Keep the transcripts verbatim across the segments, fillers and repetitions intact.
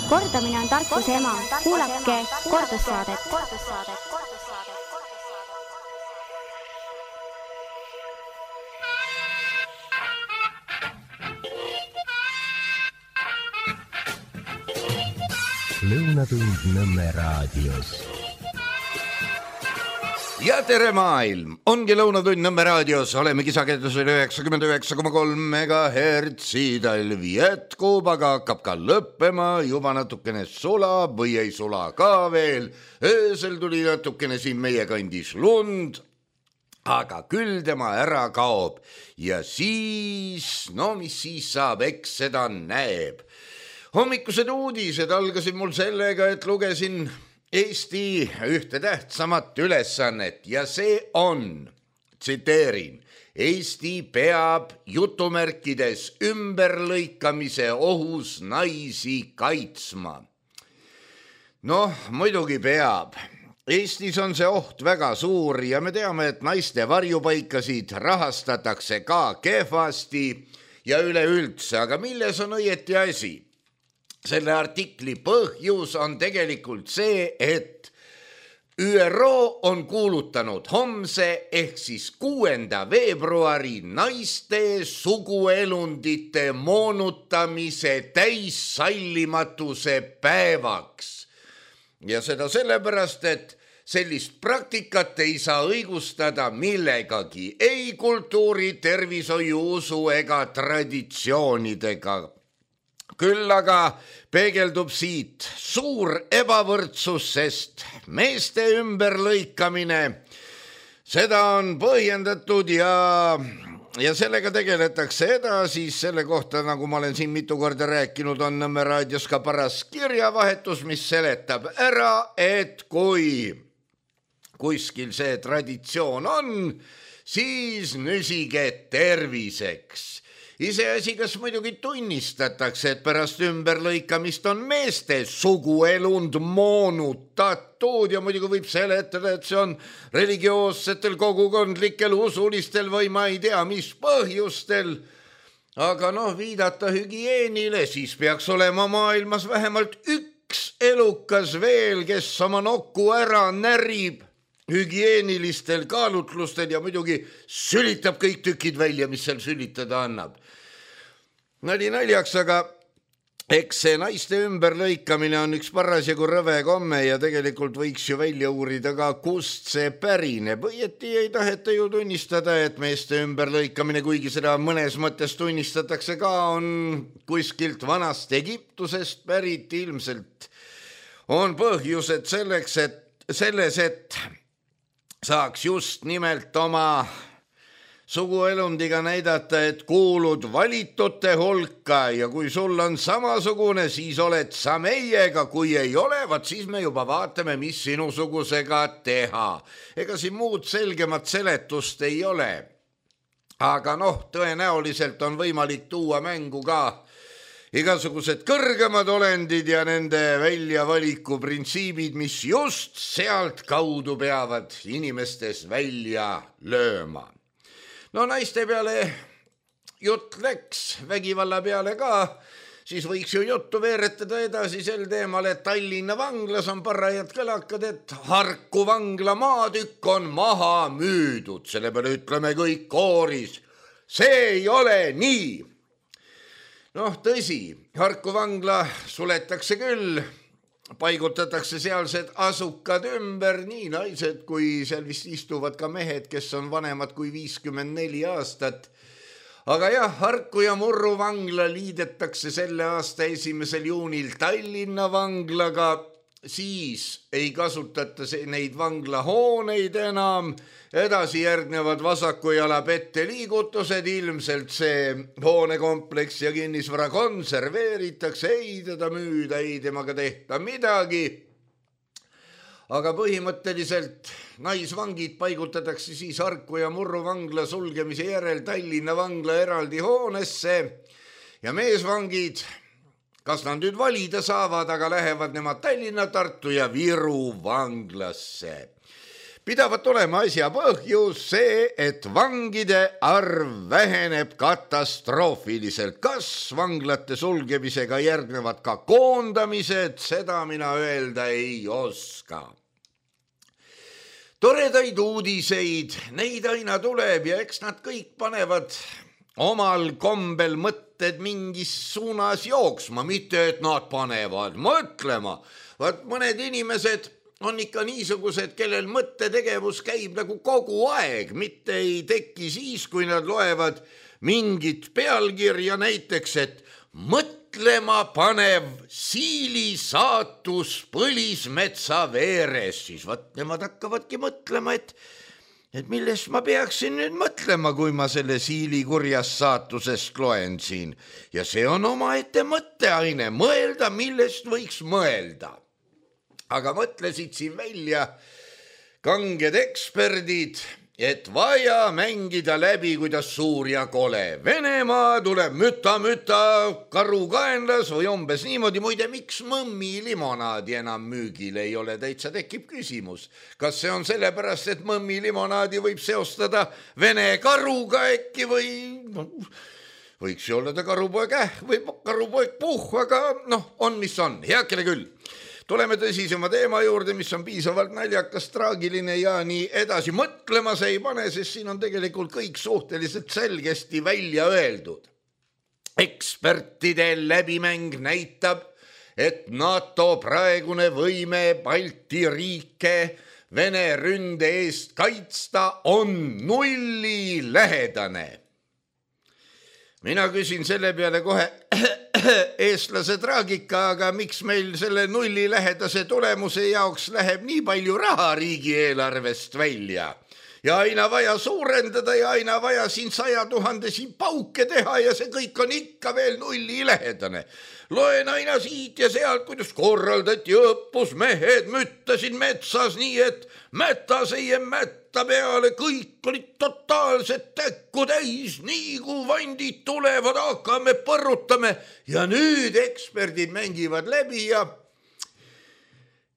Kordamine on tarkuse ema. Kuulake kordussaadet. Lõunatund Nõmme raadios. Ja tere maailm! Ongi Lõunatund Nõmme raadios. Oleme kisakendusel üheksakümmend üheksa koma kolm megahertsi. Talv jätkub, aga hakkab ka lõppema. Juba natukene sulab või ei sula ka veel. Öösel tuli natukene siin meie kandis lund, aga küll tema ära kaob. Ja siis, no mis siis saab, eks seda näeb. Hommikused uudised algasid mul sellega, et lugesin Eesti ühte tähtsamat ülesannet ja see on, tsiteerin, Eesti peab jutumärkides ümberlõikamise ohus naisi kaitsma. Noh, muidugi peab. Eestis on see oht väga suur ja me teame, et naiste varjupaikasid rahastatakse ka kehvasti ja üleüldse, aga milles on õieti asi? Selle artikli põhjus on tegelikult see, et ÜRO on kuulutanud homse ehk siis kuuenda veebruari naiste suguelundite moonutamise täissallimatuse päevaks. Ja seda sellepärast, et sellist praktikat ei saa õigustada millegagi, ei kultuuri, tervishoiu, usu ega traditsioonidega. Küll aga peegeldub siit suur ebavõrdsus, sest meeste ümberlõikamine, seda on põhjendatud ja, ja sellega tegeletakse edasi. Selle kohta, nagu ma olen siin mitu korda rääkinud, on Nõmme raadios ka paras kirjavahetus, mis seletab ära, et kui kuskil see traditsioon on, siis nüsige terviseks. Iseasi, kas muidugi tunnistatakse, et pärast ümberlõikamist on meeste suguelund moonutatud ja muidugi võib seletada, et see on religioossetel, kogukondlikel, usulistel või ma ei tea, mis põhjustel. Aga noh, viidata hügieenile, siis peaks olema maailmas vähemalt üks elukas veel, kes oma nokku ära närib hügieenilistel kaalutlustel ja muidugi sülitab kõik tükid välja, mis seal sülitada annab. Nali naljaks, aga eks see naiste ümberlõikamine on üks parasjagu rõve komme ja tegelikult võiks ju välja uurida ka, kust see pärineb. Õieti ei taheta ju tunnistada, et meeste ümberlõikamine, kuigi seda mõnes mõttes tunnistatakse ka, on kuskilt vanast Egiptusest pärit. Ilmselt on põhjused selleks, et selles, et saaks just nimelt oma suguelundiga näidata, et kuulud valitute hulka ja kui sul on samasugune, siis oled sa meiega, kui ei ole, vaat siis me juba vaatame, mis sinusugusega teha. Ega siin muud selgemat seletust ei ole. Aga noh, tõenäoliselt on võimalik tuua mängu ka igasugused kõrgemad olendid ja nende väljavaliku printsiibid, mis just sealt kaudu peavad inimestes välja lööma. No naiste peale jutt läks, vägivalla peale ka, siis võiks ju juttu veeretada edasi sel teemal, et Tallinna vanglas on parajad kõlakad, et Harku vangla maatükk on maha müüdud. Selle peale ütleme kõik kooris. See ei ole nii. Noh, tõsi, Harku vangla suletakse küll, paigutatakse sealsed asukad ümber, nii naised kui seal vist istuvad ka mehed, kes on vanemad kui viiskümmend neli aastat. Aga jah, Harku ja Murru vangla liidetakse selle aasta esimesel juunil Tallinna vanglaga, siis ei kasutata neid vanglahooneid enam, edasi järgnevad vasaku jala pette liigutused, ilmselt see hoonekompleks ja kinnisvara konserveeritakse, ei teda müüda, ei temaga tehta midagi. Aga põhimõtteliselt naisvangid paigutatakse siis Harku ja Murru vangla sulgemise järel Tallinna vangla eraldi hoonesse ja meesvangid, kas nad nüüd valida saavad, aga lähevad nemad Tallinna, Tartu ja Viru vanglasse. pidavat olema asja põhjus see, et vangide arv väheneb katastroofiliselt. Kas vanglate sulgemisega järgnevad ka koondamised, seda mina öelda ei oska. Toredaid uudiseid, neid aina tuleb ja eks nad kõik panevad omal kombel mõtted mingis suunas jooksma, mitte et nad panevad mõtlema. Vaat mõned inimesed on ikka niisugused, kellel mõttetegevus käib nagu kogu aeg, mitte ei teki siis, kui nad loevad mingit pealkirja näiteks, et mõtlema panev siili saatus põlismetsa veeres, siis vaat nemad hakkavadki mõtlema, et et millest ma peaksin nüüd mõtlema, kui ma selle siili kurjast saatusest loen siin. Ja see on omaette mõtteaine, mõelda, millest võiks mõelda. Aga mõtlesid siin välja kanged eksperdid, et vaja mängida läbi, kuidas suur ja kole. Venemaa tuleb müta-müta karukaenlas või umbes niimoodi. Muide, miks mõmmi limonaadi enam müügil ei ole, täitsa tekib küsimus. Kas see on sellepärast, et mõmmi limonaadi võib seostada Vene karuga äkki või võiks ju olla ta karupoeg äh või karupoeg puh, aga noh, on mis on, heakene küll. Tuleme tõsisema teema juurde, mis on piisavalt naljakas, traagiline ja nii edasi. Mõtlema see ei pane, sest siin on tegelikult kõik suhteliselt selgesti välja öeldud. Ekspertide läbimäng näitab, et NATO praegune võime Balti riike Vene ründe eest kaitsta on nulli lähedane. Mina küsin selle peale kohe eestlase traagika, aga miks meil selle nulli lähedase tulemuse jaoks läheb nii palju raha riigieelarvest välja? Ja aina vaja suurendada ja aina vaja siin saja tuhandesi pauke teha ja see kõik on ikka veel nulli lähedane. Loen aina siit ja sealt, kuidas korraldati õppus, mehed müttasid metsas nii, et mätas ei mätta peale, kõik olid totaalselt täkku täis, nii kui vandid tulevad, hakkame põrutame ja nüüd eksperdid mängivad läbi ja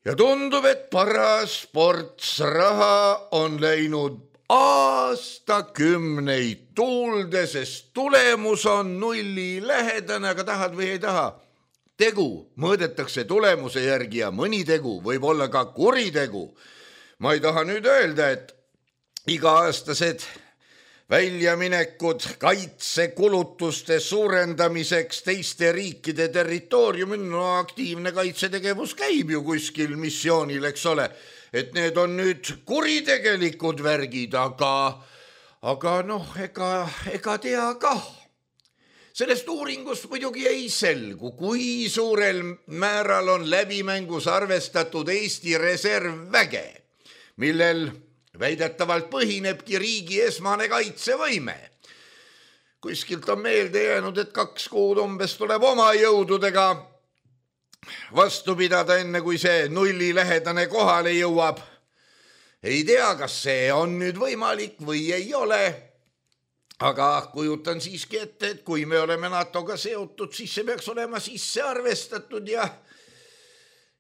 ja tundub, et paras ports raha on läinud aastakümneid tuulde, sest tulemus on nulli lähedane, aga tahad või ei taha. Tegu mõõdetakse tulemuse järgi ja mõni tegu võib olla ka kuritegu. Ma ei taha nüüd öelda, et iga-aastased väljaminekud kaitsekulutuste suurendamiseks teiste riikide territooriumil, no aktiivne kaitsetegevus käib ju kuskil missioonil, eks ole, et need on nüüd kuritegelikud värgid, aga, aga noh, ega, ega tea kah. Sellest uuringust muidugi ei selgu, kui suurel määral on läbimängus arvestatud Eesti reservväge, millel väidetavalt põhinebki riigi esmane kaitsevõime. Kuskilt on meelde jäänud, et kaks kuud umbes tuleb oma jõududega vastu pidada, enne kui see nulli lähedane kohale jõuab. Ei tea, kas see on nüüd võimalik või ei ole, aga kujutan siiski ette, et kui me oleme NATOga seotud, siis see peaks olema sisse arvestatud ja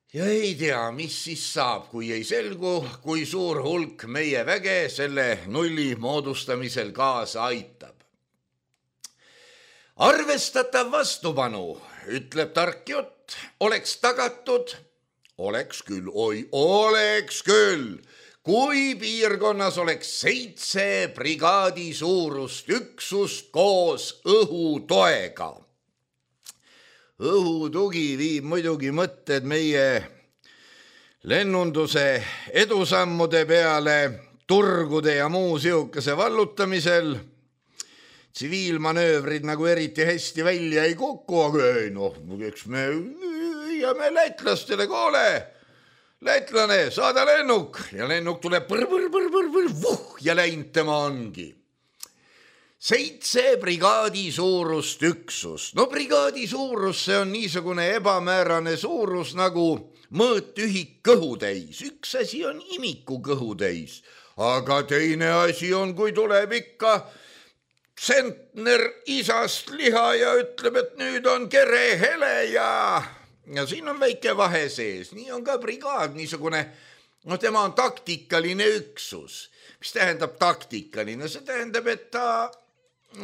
Ja ei tea, mis siis saab, kui ei selgu, kui suur hulk meie väge selle nulli moodustamisel kaasa aitab. Arvestatav vastupanu, ütleb tark jutt, oleks tagatud, oleks küll, oi, oleks küll, kui piirkonnas oleks seitse brigaadi suurust üksust koos õhutoega. Õhutugi viib muidugi mõtted meie lennunduse edusammude peale, turgude ja muu siukese vallutamisel. Tsiviilmanöövrid nagu eriti hästi välja ei kuku, aga ei noh, eks me jääme lätlastele, koole, lätlane, saada lennuk ja lennuk tuleb põr, põr, põr, põr, põr, vuh ja läinud tema ongi. Seitse brigaadi suurust üksus. No brigaadi suurus, see on niisugune ebamäärane suurus nagu mõõtühik kõhutäis. Üks asi on imiku kõhutäis, aga teine asi on, kui tuleb ikka tsentner isast liha ja ütleb, et nüüd on kere hele ja, ja siin on väike vahe sees. Nii on ka brigaad, niisugune no tema on taktikaline üksus. Mis tähendab taktikaline? See tähendab, et ta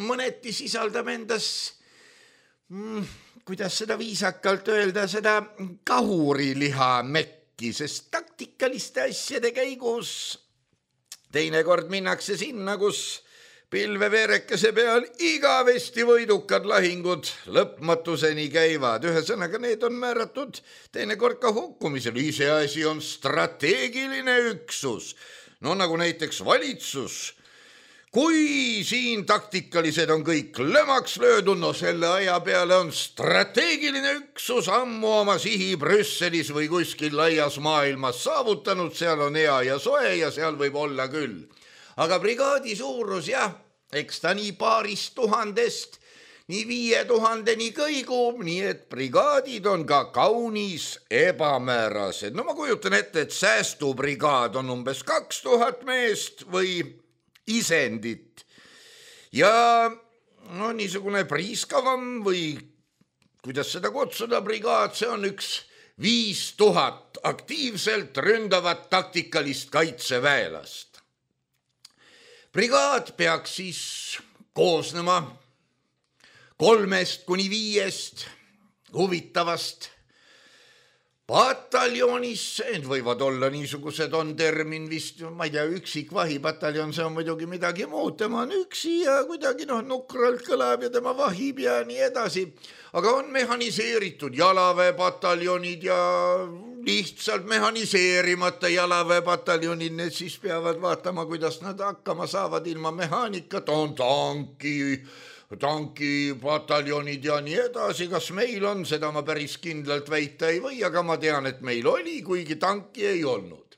mõneti sisaldab endas, mm, kuidas seda viisakalt öelda, seda kahuriliha mekki, sest taktikaliste asjade käigus teinekord minnakse sinna, kus pilveveerekese peal igavesti võidukad lahingud lõpmatuseni käivad. Ühesõnaga, need on määratud teinekord ka hukkumisel. Iseasi on strateegiline üksus. No nagu näiteks valitsus. Kui siin taktikalised on kõik lõmaks löödud, no selle aja peale on strateegiline üksus ammu oma sihi Brüsselis või kuskil laias maailmas saavutanud. Seal on hea ja soe ja seal võib olla küll. Aga brigaadi suurus, jah, eks ta nii paarist tuhandest, nii viie tuhandeni kõigub, nii et brigaadid on ka kaunis ebamäärased. No ma kujutan ette, et säästubrigaad on umbes kaks tuhat meest või isendit. Ja no niisugune priiskavam või kuidas seda kutsuda brigaad, see on üks viis tuhat aktiivselt ründavat taktikalist kaitseväelast. Brigaad peaks siis koosnema kolmest kuni viiest huvitavast pataljonist. Need võivad olla niisugused, on termin vist, ma ei tea, üksik vahipataljon, see on muidugi midagi muud. Tema on üksi ja kuidagi noh, nukralt kõlab ja tema vahib ja nii edasi. Aga on mehaniseeritud jalaväepataljonid ja lihtsalt mehaniseerimata jalaväepataljonid, need siis peavad vaatama, kuidas nad hakkama saavad ilma mehaanikat. On tanki, tankipataljonid ja nii edasi. Kas meil on, seda ma päris kindlalt väita ei või, aga ma tean, et meil oli, kuigi tanki ei olnud.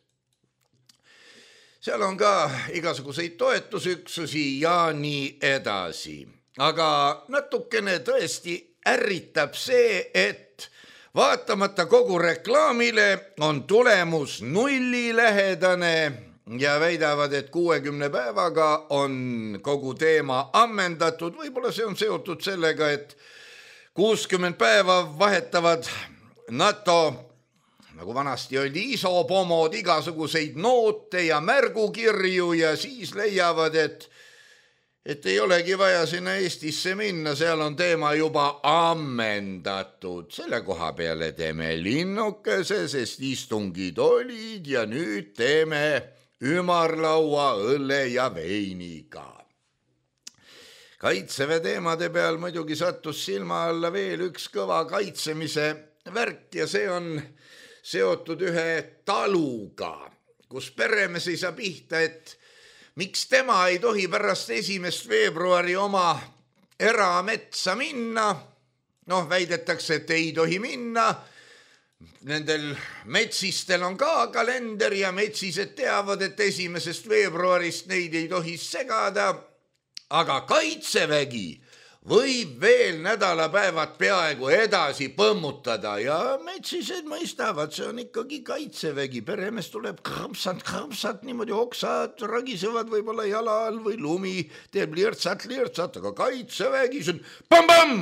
Seal on ka igasuguseid toetusüksusi ja nii edasi. Aga natukene tõesti ärritab see, et vaatamata kogu reklaamile on tulemus nullilähedane ja väidavad, et kuuekümne päevaga on kogu teema ammendatud. Võib-olla see on seotud sellega, et kuuskümmend päeva vahetavad NATO, nagu vanasti oli isopomod, igasuguseid noote ja märgukirju ja siis leiavad, et et ei olegi vaja sinna Eestisse minna, seal on teema juba ammendatud. Selle koha peale teeme linnukese, sest istungid olid ja nüüd teeme ümarlaua õlle ja veiniga. Kaitseväe teemade peal muidugi sattus silma alla veel üks kõva kaitsemise värk ja see on seotud ühe taluga, kus peremees ei saa pihta, et miks tema ei tohi pärast esimest veebruari oma erametsa minna? Noh, väidetakse, et ei tohi minna. Nendel metsistel on ka kalender ja metsised teavad, et esimesest veebruarist neid ei tohi segada. Aga kaitsevägi võib veel nädalapäevad peaaegu edasi põmmutada ja metsised mõistavad, see on ikkagi kaitsevägi. Peremees tuleb krõmpsat, krõmpsat, niimoodi oksad ragisevad võib-olla jala all või lumi teeb lirtsat, lirtsat, aga kaitsevägi see on pam-pam!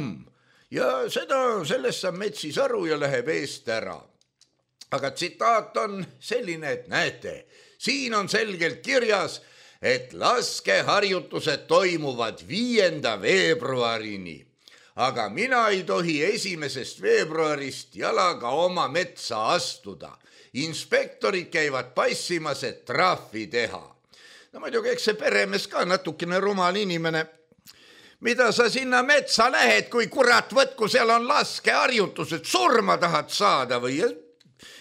Ja seda, sellest saab metsis aru ja läheb eest ära. Aga tsitaat on selline, et näete, siin on selgelt kirjas, et laskeharjutused toimuvad viienda veebruarini, aga mina ei tohi esimesest veebruarist jalaga oma metsa astuda. Inspektorid käivad passimas, et trahvi teha. No muidugi, eks see peremees ka natukene rumal inimene. Mida sa sinna metsa lähed, kui kurat võtku, seal on laskeharjutused, surma tahad saada või?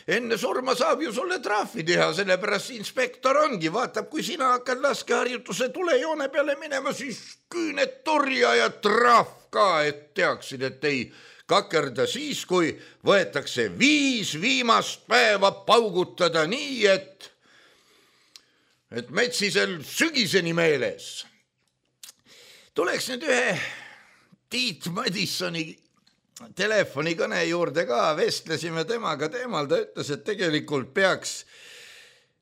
Enne surma saab ju sulle trahvi teha, sellepärast inspektor ongi, vaatab, kui sina hakkad laskeharjutuse tulejoone peale minema, siis küüned turja ja trahv ka, et teaksid, et ei kakerda siis, kui võetakse viis viimast päeva paugutada nii, et, et metsisel sügiseni meeles. Tuleks nüüd ühe Tiit Madissoni telefonikõne juurde ka, vestlesime temaga teemal, ta ütles, et tegelikult peaks,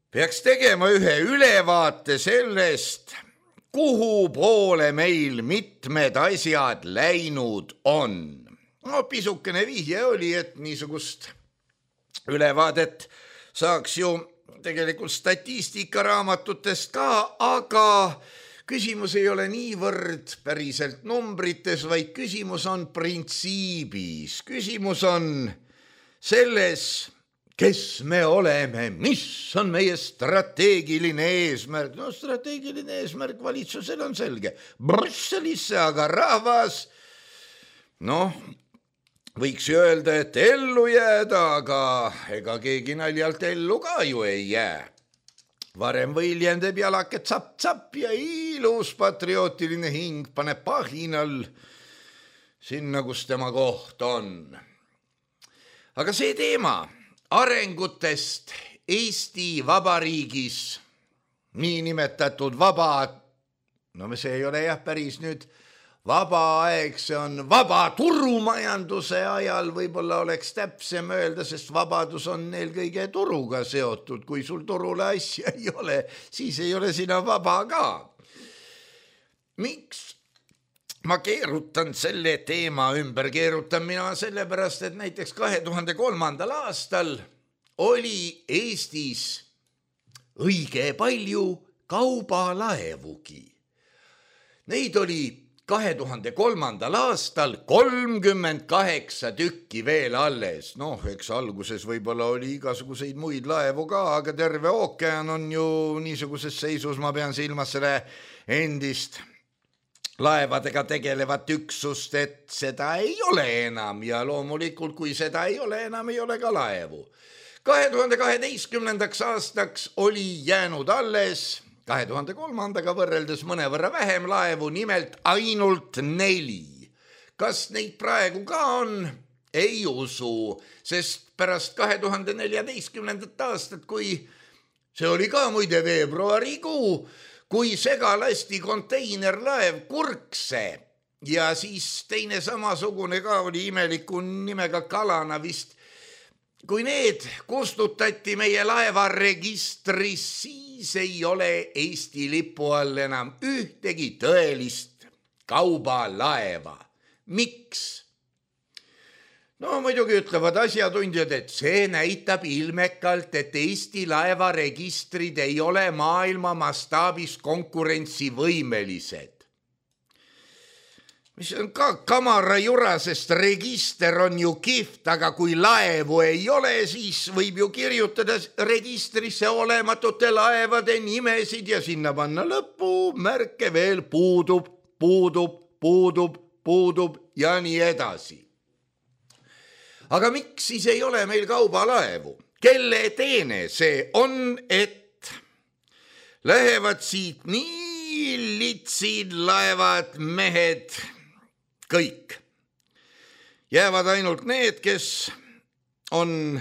peaks tegema ühe ülevaate sellest, kuhu poole meil mitmed asjad läinud on. No pisukene vihje oli, et niisugust ülevaadet saaks ju tegelikult statistikaraamatutest ka, aga küsimus ei ole niivõrd päriselt numbrites, vaid küsimus on printsiibis. Küsimus on selles, kes me oleme, mis on meie strateegiline eesmärk. No strateegiline eesmärk valitsusel on selge. Brüsselisse, aga rahvas, noh, võiks ju öelda, et ellu jääda, aga ega keegi naljalt ellu ka ju ei jää. Varem või hiljem teeb jalake tsapp-tsapp ja ilus patriootiline hing paneb pahinal sinna, kus tema koht on. Aga see teema arengutest Eesti Vabariigis, niinimetatud vaba, no see ei ole jah päris nüüd vaba aeg, see on vaba turumajanduse ajal, võib-olla oleks täpsem öelda, sest vabadus on eelkõige turuga seotud. Kui sul turule asja ei ole, siis ei ole sina vaba ka. Miks ma keerutan selle teema ümber? Keerutan mina sellepärast, et näiteks kahe tuhande kolmandal aastal oli Eestis õige palju kaubalaevugi. Neid oli kahe tuhande kolmandal aastal kolmkümmend kaheksa tükki veel alles. Noh, eks alguses võib-olla oli igasuguseid muid laevu ka, aga terve ookean on ju niisuguses seisus, ma pean silmas selle endist laevadega tegelevat üksust, et seda ei ole enam ja loomulikult, kui seda ei ole enam, ei ole ka laevu. kahe tuhande kaheteistkümnendaks aastaks oli jäänud alles kahe tuhande kolmandaga võrreldes mõnevõrra vähem laevu, nimelt ainult neli. Kas neid praegu ka on? Ei usu, sest pärast kahe tuhande neljateistkümnendat aastat, kui see oli ka muide veebruarikuu, kui segalasti konteinerlaev Kurkse ja siis teine samasugune ka oli imeliku nimega Kalana vist, kui need kustutati meie laevaregistris, siis ei ole Eesti lipu all enam ühtegi tõelist kaubalaeva. Miks? No muidugi ütlevad asjatundjad, et see näitab ilmekalt, et Eesti laevaregistrid ei ole maailma mastaabis konkurentsivõimelised. Mis on ka kamara jura, sest register on ju kihvt, aga kui laevu ei ole, siis võib ju kirjutada registrisse olematute laevade nimesid ja sinna panna lõppu märke veel puudub, puudub, puudub, puudub ja nii edasi. Aga miks siis ei ole meil kaubalaevu? Kelle teene see on, et lähevad siit nii litsid laevad, mehed, kõik. Jäävad ainult need, kes on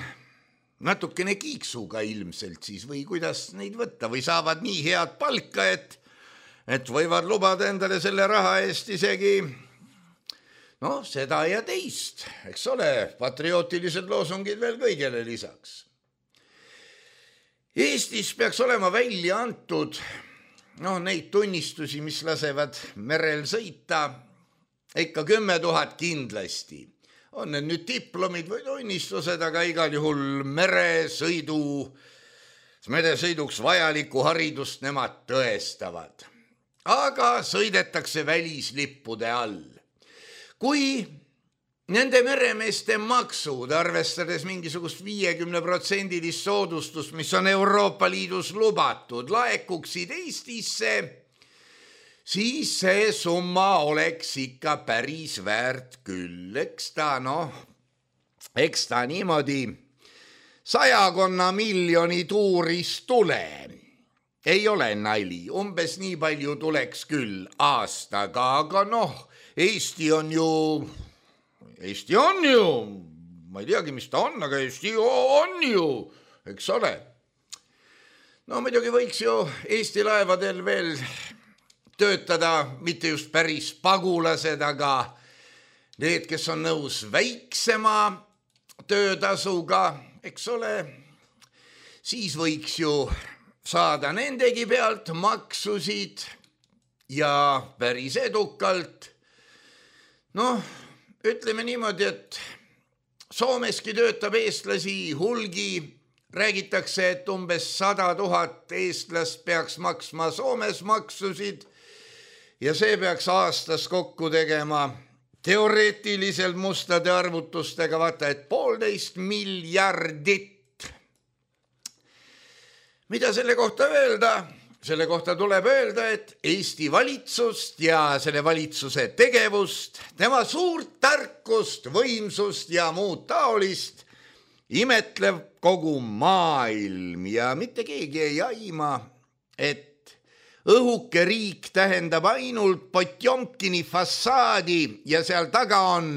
natukene kiiksuga ilmselt siis või kuidas neid võtta või saavad nii head palka, et, et võivad lubada endale selle raha eest isegi no seda ja teist, eks ole, patriootilised loosungid veel kõigele lisaks. Eestis peaks olema välja antud no, neid tunnistusi, mis lasevad merel sõita, ikka kümme tuhat kindlasti. On need nüüd diplomid või tunnistused, aga igal juhul meresõidu, meresõiduks vajaliku haridust nemad tõestavad. Aga sõidetakse välislippude all. Kui nende meremeeste maksud, arvestades mingisugust viiekümne protsendilist soodustust, mis on Euroopa Liidus lubatud, laekuksid Eestisse, siis see summa oleks ikka päris väärt küll. Eks ta, noh, eks ta niimoodi sajakonna miljoni tuuris tule. Ei ole nali, umbes nii palju tuleks küll aastaga, aga noh, Eesti on ju, Eesti on ju, ma ei teagi, mis ta on, aga Eesti on ju, eks ole. No muidugi võiks ju Eesti laevadel veel töötada, mitte just päris pagulased, aga need, kes on nõus väiksema töötasuga, eks ole, siis võiks ju saada nendegi pealt maksusid ja päris edukalt. Noh, ütleme niimoodi, et Soomeski töötab eestlasi hulgi, räägitakse, et umbes sada tuhat eestlast peaks maksma Soomes maksusid ja see peaks aastas kokku tegema teoreetiliselt mustade arvutustega, vaata, et poolteist miljardit. Mida selle kohta öelda? Selle kohta tuleb öelda, et Eesti valitsust ja selle valitsuse tegevust, tema suurt tarkust, võimsust ja muud taolist imetleb kogu maailm ja mitte keegi ei aima, et õhuke riik tähendab ainult Potjomkini fassaadi ja seal taga on,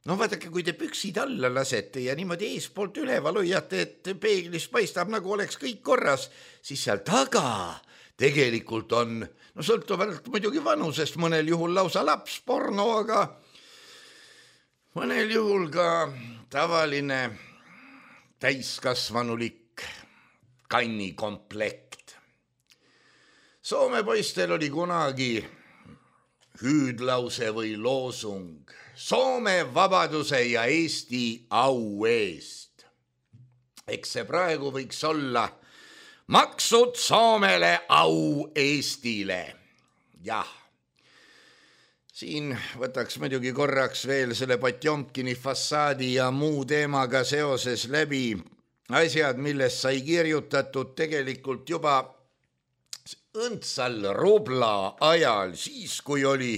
no vaadake, kui te püksid alla lasete ja niimoodi eespoolt üleval hoiate, et peeglis paistab, nagu oleks kõik korras, siis seal taga tegelikult on, no sõltuvalt muidugi vanusest, mõnel juhul lausa lapsporno, aga mõnel juhul ka tavaline täiskasvanulik kannikomplekt. Soome poistel oli kunagi hüüdlause või loosung Soome vabaduse ja Eesti au eest. Eks see praegu võiks olla maksud Soomele, au Eestile. Jah. Siin võtaks muidugi korraks veel selle Potjomkini fassaadi ja muu teemaga seoses läbi asjad, millest sai kirjutatud tegelikult juba õndsal rubla ajal, siis kui oli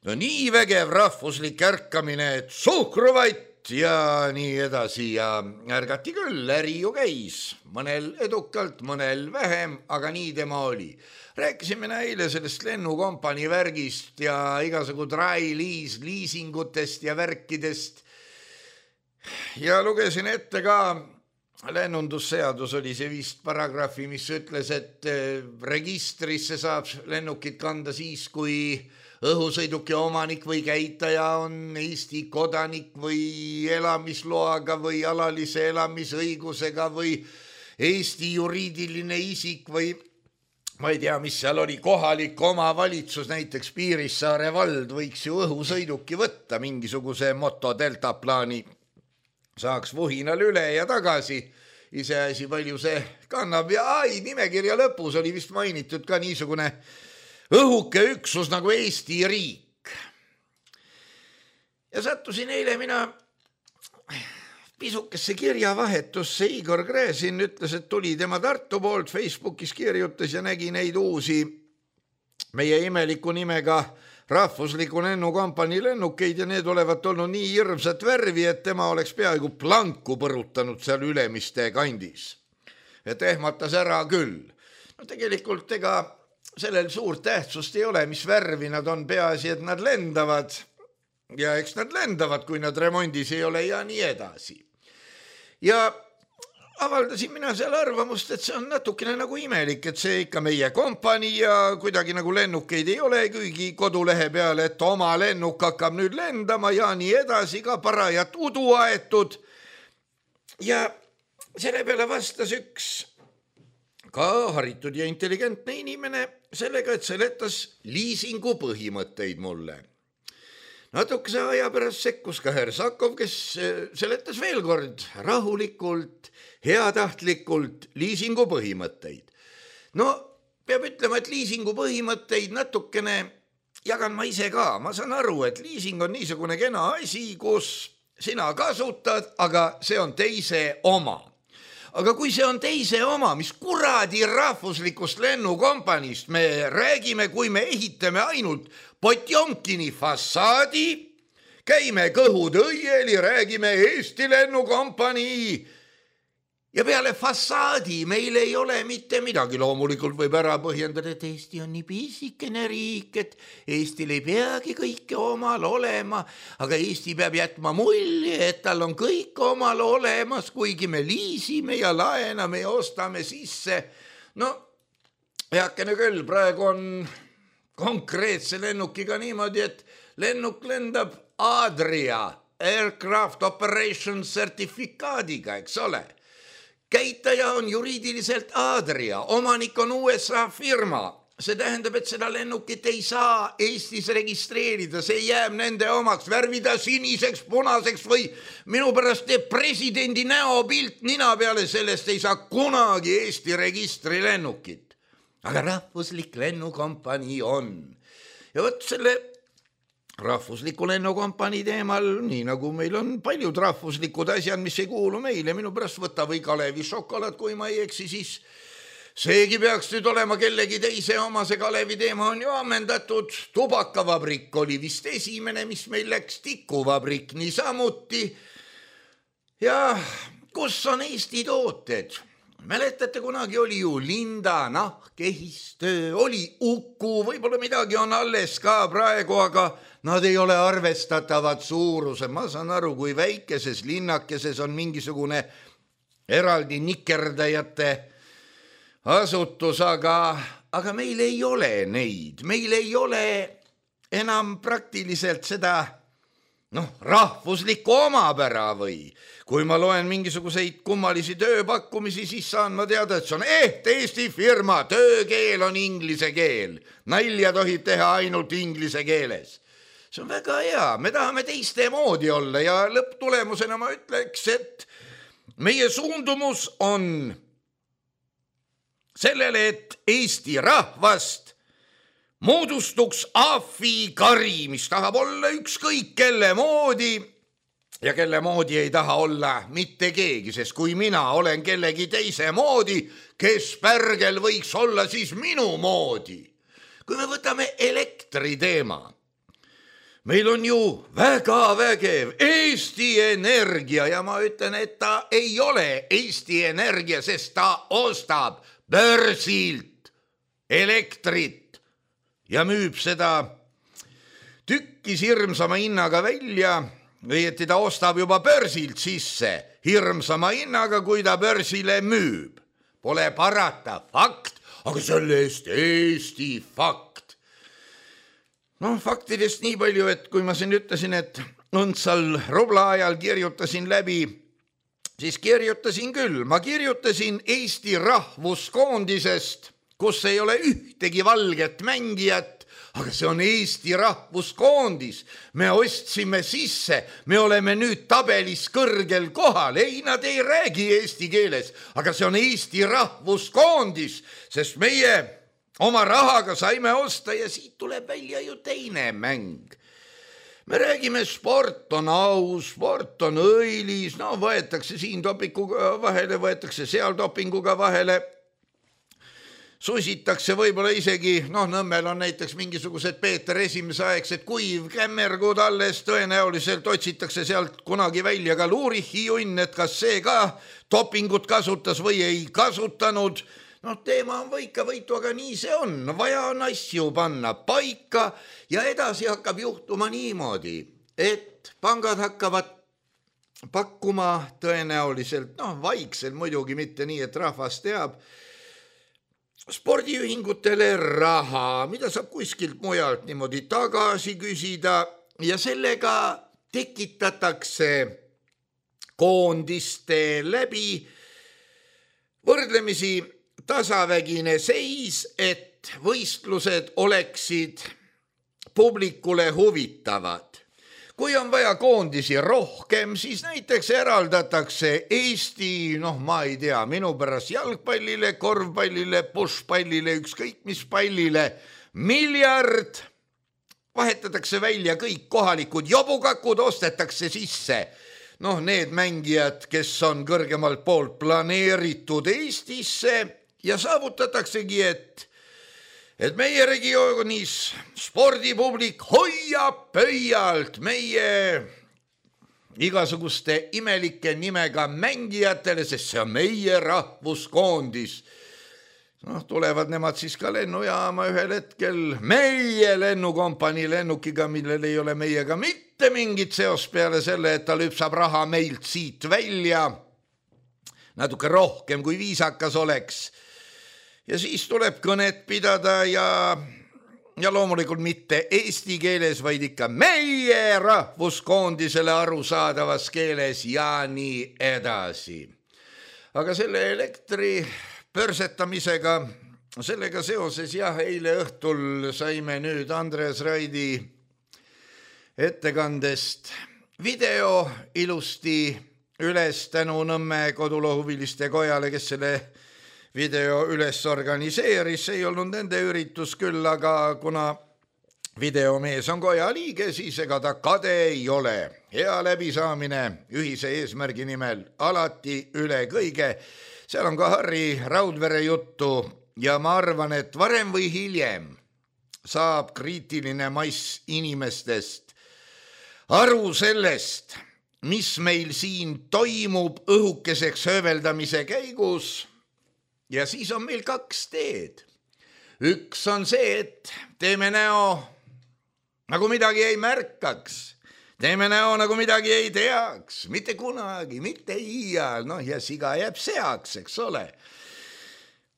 no nii vägev rahvuslik ärkamine, et suhkruvait ja nii edasi ja ärgati küll, äri ju käis, mõnel edukalt, mõnel vähem, aga nii tema oli. Rääkisime eile sellest lennukompani värgist ja igasugu dry lease liisingutest ja värkidest ja lugesin ette ka lennundusseadus oli see vist paragrahvi, mis ütles, et registrisse saab lennukit kanda siis, kui õhusõiduki omanik või käitaja on Eesti kodanik või elamisloaga või alalise elamisõigusega või Eesti juriidiline isik või ma ei tea, mis seal oli, kohalik omavalitsus, näiteks Piirissaare vald võiks ju õhusõiduki võtta mingisuguse moto delta plaani, saaks vuhinal üle ja tagasi, iseasi palju see kannab ja ai, nimekirja lõpus oli vist mainitud ka niisugune õhuke üksus nagu Eesti riik. Ja sattusin eile mina pisukesse kirjavahetusse, Igor Gräzin ütles, et tuli tema Tartu poolt, Facebookis kirjutas ja nägi neid uusi meie imeliku nimega rahvusliku lennukompani lennukeid ja need olevat olnud nii hirmsat värvi, et tema oleks peaaegu planku põrutanud seal Ülemiste kandis. Et ehmatas ära küll. No tegelikult ega sellel suurt tähtsust ei ole, mis värvi nad on, peaasi, et nad lendavad ja eks nad lendavad, kui nad remondis ei ole ja nii edasi. Ja avaldasin mina seal arvamust, et see on natukene nagu imelik, et see ikka meie kompani ja kuidagi nagu lennukeid ei ole, kuigi kodulehe peale, et oma lennuk hakkab nüüd lendama ja nii edasi, ka parajat udu aetud. Ja selle peale vastas üks ka haritud ja intelligentne inimene sellega, et seletas liisingu põhimõtteid mulle. Natukese aja pärast sekkus ka Hersakov, kes seletas veel kord rahulikult, heatahtlikult liisingu põhimõtteid. No, peab ütlema, et liisingu põhimõtteid natukene jagan ma ise ka. Ma saan aru, et liising on niisugune kena asi, kus sina kasutad, aga see on teise oma. Aga kui see on teise oma, mis kuradi rahvuslikust lennukompanist me räägime, kui me ehitame ainult Potjomkini fassaadi, käime kõhud õieli, räägime Eesti lennukompanii ja peale fassaadi meil ei ole mitte midagi. Loomulikult võib ära põhjendada, et Eesti on nii pisikene riik, et Eestil ei peagi kõike omal olema, aga Eesti peab jätma mulje, et tal on kõik omal olemas, kuigi me liisime ja laename ja ostame sisse. No, heakene küll, praegu on konkreetse lennukiga niimoodi, et lennuk lendab Adria Aircraft Operation sertifikaadiga, eks ole. Käitaja on juriidiliselt Adria, omanik on U S A firma, see tähendab, et seda lennukit ei saa Eestis registreerida, see jääb nende omaks, värvida siniseks, punaseks või minu pärast teeb presidendi näopilt nina peale, sellest ei saa kunagi Eesti registri lennukit. Aga rahvuslik lennukompanii on. Ja võt selle rahvusliku lennukompanii teemal, nii nagu meil on paljud rahvuslikud asjad, mis ei kuulu meile, minu pärast võta või Kalevi šokolaad, kui ma ei eksi, siis seegi peaks nüüd olema kellegi teise oma, see Kalevi teema on ju ammendatud. Tubakavabrik oli vist esimene, mis meil läks, tikuvabrik niisamuti. Ja kus on Eesti tooted? Mäletate, kunagi oli ju Linda, nahk, ehistöö, oli Uku, võib-olla midagi on alles ka praegu, aga nad ei ole arvestatavad suuruse. Ma saan aru, kui väikeses linnakeses on mingisugune eraldi nikerdajate asutus, aga, aga meil ei ole neid, meil ei ole enam praktiliselt seda noh, rahvuslikku omapära või kui ma loen mingisuguseid kummalisi tööpakkumisi, siis saan ma teada, et see on eht Eesti firma, töökeel on inglise keel, nalja tohib teha ainult inglise keeles. See on väga hea, me tahame teiste moodi olla ja lõpptulemusena ma ütleks, et meie suundumus on sellele, et Eesti rahvast moodustuks ahvikari, mis tahab olla ükskõik kelle moodi ja kelle moodi ei taha olla mitte keegi, sest kui mina olen kellegi teise moodi, kes pärgel võiks olla siis minu moodi. Kui me võtame elektri teema, meil on ju väga vägev Eesti Energia ja ma ütlen, et ta ei ole Eesti Energia, sest ta ostab börsilt elektrit ja müüb seda tükkis hirmsama hinnaga välja, või et ta ostab juba börsilt sisse hirmsama hinnaga, kui ta börsile müüb. Pole parata, fakt, aga selle eest Eesti fakt. No faktidest nii palju, et kui ma siin ütlesin, et õndsal rubla ajal kirjutasin läbi, siis kirjutasin küll, ma kirjutasin Eesti rahvuskoondisest, kus ei ole ühtegi valget mängijat, aga see on Eesti rahvuskoondis. Me ostsime sisse, me oleme nüüd tabelis kõrgel kohal, ei, nad ei räägi eesti keeles, aga see on Eesti rahvuskoondis, sest meie oma rahaga saime osta ja siit tuleb välja ju teine mäng. Me räägime, sport on aus, sport on õilis, no võetakse siin dopinguga vahele, võetakse seal dopinguga vahele, susitakse võib-olla isegi, noh, Nõmmel on näiteks mingisugused Peeter esimese aegsed kuiv kämmergud alles, tõenäoliselt otsitakse sealt kunagi välja ka Luurichi junn, et kas see ka dopingut kasutas või ei kasutanud. No teema on võika võitu, aga nii see on. Vaja on asju panna paika ja edasi hakkab juhtuma niimoodi, et pangad hakkavad pakkuma tõenäoliselt, noh, vaikselt muidugi mitte nii, et rahvas teab, spordiühingutele raha, mida saab kuskilt mujalt niimoodi tagasi küsida ja sellega tekitatakse koondiste läbi võrdlemisi tasavägine seis, et võistlused oleksid publikule huvitavad. Kui on vaja koondisi rohkem, siis näiteks eraldatakse Eesti, noh ma ei tea, minu pärast jalgpallile, korvpallile, pushpallile, ükskõik mis pallile, miljard, vahetatakse välja kõik kohalikud jobukakud, ostetakse sisse. Noh, need mängijad, kes on kõrgemalt poolt planeeritud Eestisse ja saavutataksegi, et, et meie regioonis spordipublik hoiab pöialt meie igasuguste imelike nimega mängijatele, sest see on meie rahvuskoondis. Noh, tulevad nemad siis ka lennujaama ühel hetkel meie lennukompanii lennukiga, millel ei ole meiega mitte mingit seos peale selle, et ta lüpsab raha meilt siit välja natuke rohkem kui viisakas oleks. Ja siis tuleb kõnet pidada ja, ja loomulikult mitte eesti keeles, vaid ikka meie rahvuskoondisele arusaadavas keeles ja nii edasi. Aga selle elektri pörsetamisega sellega seoses jah, eile õhtul saime nüüd Andres Raidi ettekandest video ilusti üles tänu Nõmme kodulohuviliste kojale, kes selle video üles organiseeris. See ei olnud nende üritus küll, aga kuna videomees on koja liige, siis ega ta kade ei ole. Hea läbisaamine ühise eesmärgi nimel alati üle kõige. Seal on ka Harri Raudvere juttu ja ma arvan, et varem või hiljem saab kriitiline mass inimestest aru sellest, mis meil siin toimub õhukeseks hööveldamise käigus. Ja siis on meil kaks teed. Üks on see, et teeme näo, nagu midagi ei märkaks. Teeme näo, nagu midagi ei teaks. Mitte kunagi, mitte iial. Noh, ja siga jääb seaks, eks ole.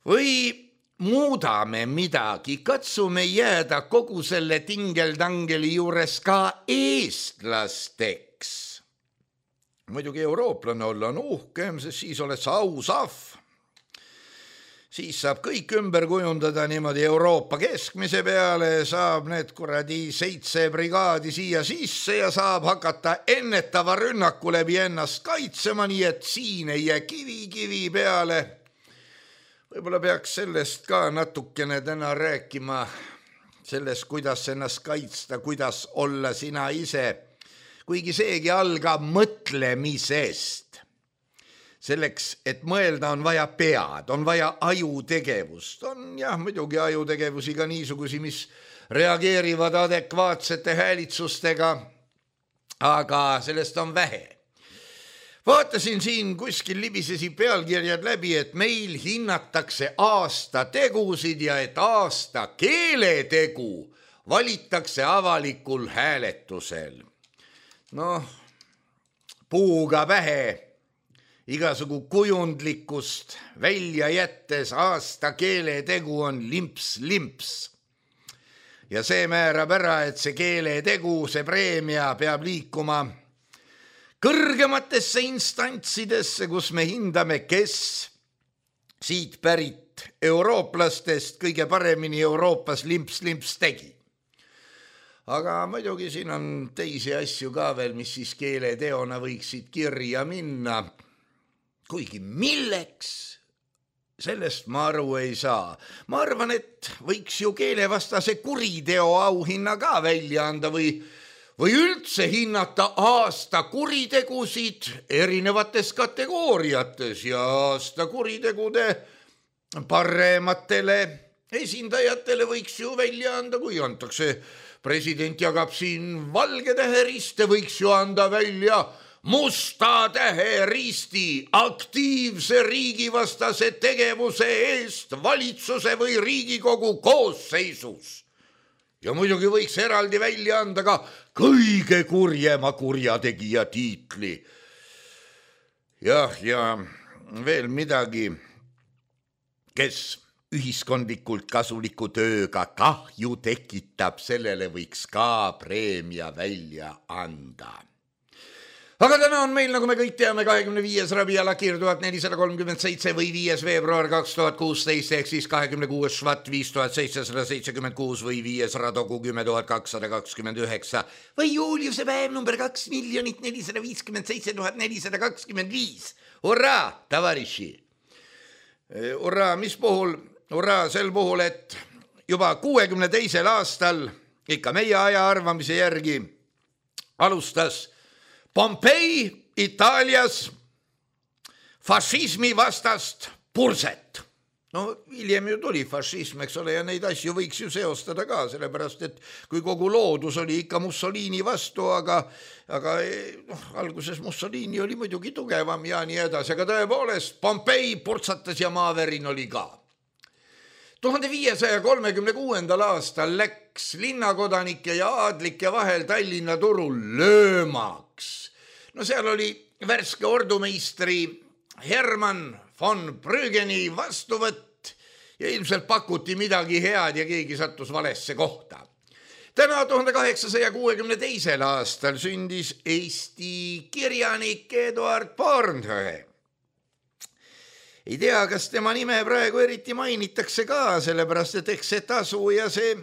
Või muudame midagi, katsume jääda kogu selle tingeldangeli juures ka eestlasteks. Muidugi eurooplane olla on uhkem, sest siis oled sa aus ahv. Siis saab kõik ümber kujundada niimoodi Euroopa keskmise peale, saab need kuradi seitse brigaadi siia sisse ja saab hakata ennetava rünnaku läbi ennast kaitsema, nii et siin ei jää kivi kivi peale. Võib-olla peaks sellest ka natukene täna rääkima, sellest, kuidas ennast kaitsta, kuidas olla sina ise. Kuigi seegi algab mõtlemisest. Selleks, et mõelda, on vaja pead, on vaja ajutegevust. On jah, muidugi ajutegevusi ka niisugusi, mis reageerivad adekvaatsete häälitsustega, aga sellest on vähe. Vaatasin siin kuskil libisesi pealkirjad läbi, et meil hinnatakse aasta tegusid ja et aasta keeletegu valitakse avalikul hääletusel. Noh, puuga pähe, igasugu kujundlikkust välja jättes aasta keeletegu on limps-limps. Ja see määrab ära, et see keeletegu, see preemia peab liikuma kõrgematesse instantsidesse, kus me hindame, kes siit pärit eurooplastest kõige paremini Euroopas limps-limps tegi. Aga muidugi siin on teisi asju ka veel, mis siis keeleteona võiksid kirja minna. Kuigi milleks, sellest ma aru ei saa. Ma arvan, et võiks ju keelevastase kuriteo auhinna ka välja anda või, või üldse hinnata aasta kuritegusid erinevates kategooriates ja aasta kuritegude parematele esindajatele võiks ju välja anda, kui antakse president jagab siin valge täheriste, võiks ju anda välja musta täheristi aktiivse riigivastase tegevuse eest valitsuse või Riigikogu koosseisus. Ja muidugi võiks eraldi välja anda ka kõige kurjema kurjategija tiitli. Jah, ja veel midagi, kes ühiskondlikult kasuliku tööga kahju tekitab, sellele võiks ka preemia välja anda. Aga täna on meil, nagu me kõik teame, kahekümne viies Rabia Lakir tuhat nelisada kolmkümmend seitse või viies veebruar kaks tuhat kuusteist ehk siis kahekümne kuues Švat viis tuhat seitsesada seitsekümmend kuus või viies Radogu kümme tuhat kakssada kakskümmend üheksa või Juliuse päev number kaks miljonit nelisada viiskümmend seitse tuhat nelisada kakskümmend viis. Hurraa, tavariši! Hurraa, mis puhul? Hurraa sel puhul, et juba kuuekümne teisel aastal, ikka meie aja arvamise järgi, alustas Pompei Itaalias fašismi vastast purset. No hiljem ju tuli fašism, eks ole, ja neid asju võiks ju seostada ka, sellepärast, et kui kogu loodus oli ikka Mussolini vastu, aga, aga noh, alguses Mussolini oli muidugi tugevam ja nii edasi, aga tõepoolest Pompei purtsatas ja maaverin oli ka. tuhande viiesaja kolmekümne kuuendal aastal läks linnakodanike ja aadlike vahel Tallinna turul löömaks. No seal oli värske ordumeistri Hermann von Brügeni vastuvõtt ja ilmselt pakuti midagi head ja keegi sattus valesse kohta. Täna tuhande kaheksasaja kuuekümne teisel aastal sündis Eesti kirjanik Eduard Bornhöhe. ei tea, kas tema nime praegu eriti mainitakse ka, sellepärast et eks see tasu ja see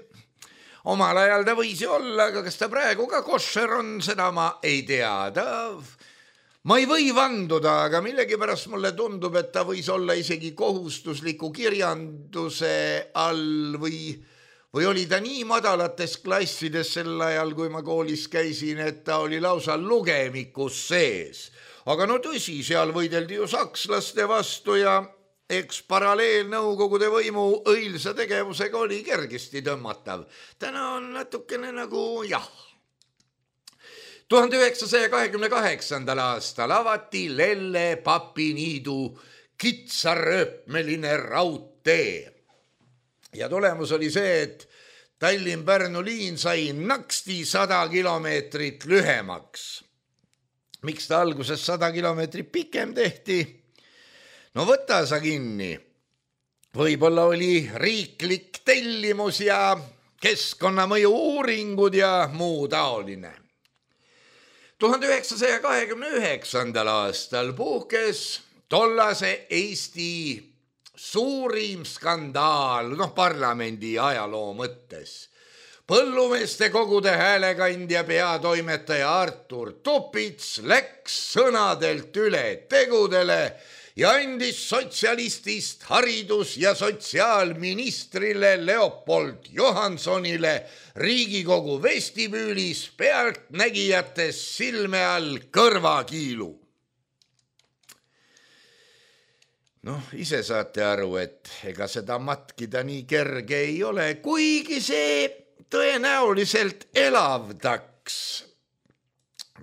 omal ajal ta võis ju olla, aga kas ta praegu ka koššer on, seda ma ei tea. Ta, ma ei või vanduda, aga millegipärast mulle tundub, et ta võis olla isegi kohustusliku kirjanduse all või Või oli ta nii madalates klassides sel ajal, kui ma koolis käisin, et ta oli lausa lugemikus sees. Aga no tõsi, seal võideldi ju sakslaste vastu ja eks paralleelnõukogude võimu õilsa tegevusega oli kergesti tõmmatav. Täna on natukene nagu jah. tuhande üheksasaja kahekümne kaheksandal aastal avati Lelle papiniidu kitsarööpmeline raudtee. Ja tulemus oli see, et Tallinn-Pärnu liin sai naksti sada kilomeetrit lühemaks. Miks ta alguses sada kilomeetrit pikem tehti? No võta sa kinni. Võib-olla oli riiklik tellimus ja keskkonnamõju uuringud ja muu taoline. tuhande üheksasaja kahekümne üheksandal aastal puhkes tollase Eesti suurim skandaal, noh parlamendi ajaloo mõttes. Põllumeeste kogude häälekandja peatoimetaja Artur Tupits läks sõnadelt üle tegudele ja andis sotsialistist haridus- ja sotsiaalministrile Leopold Johansonile Riigikogu vestibüülis pealtnägijates silme all kõrvakiilu. Noh, ise saate aru, et ega seda matkida nii kerge ei ole, kuigi see tõenäoliselt elavdaks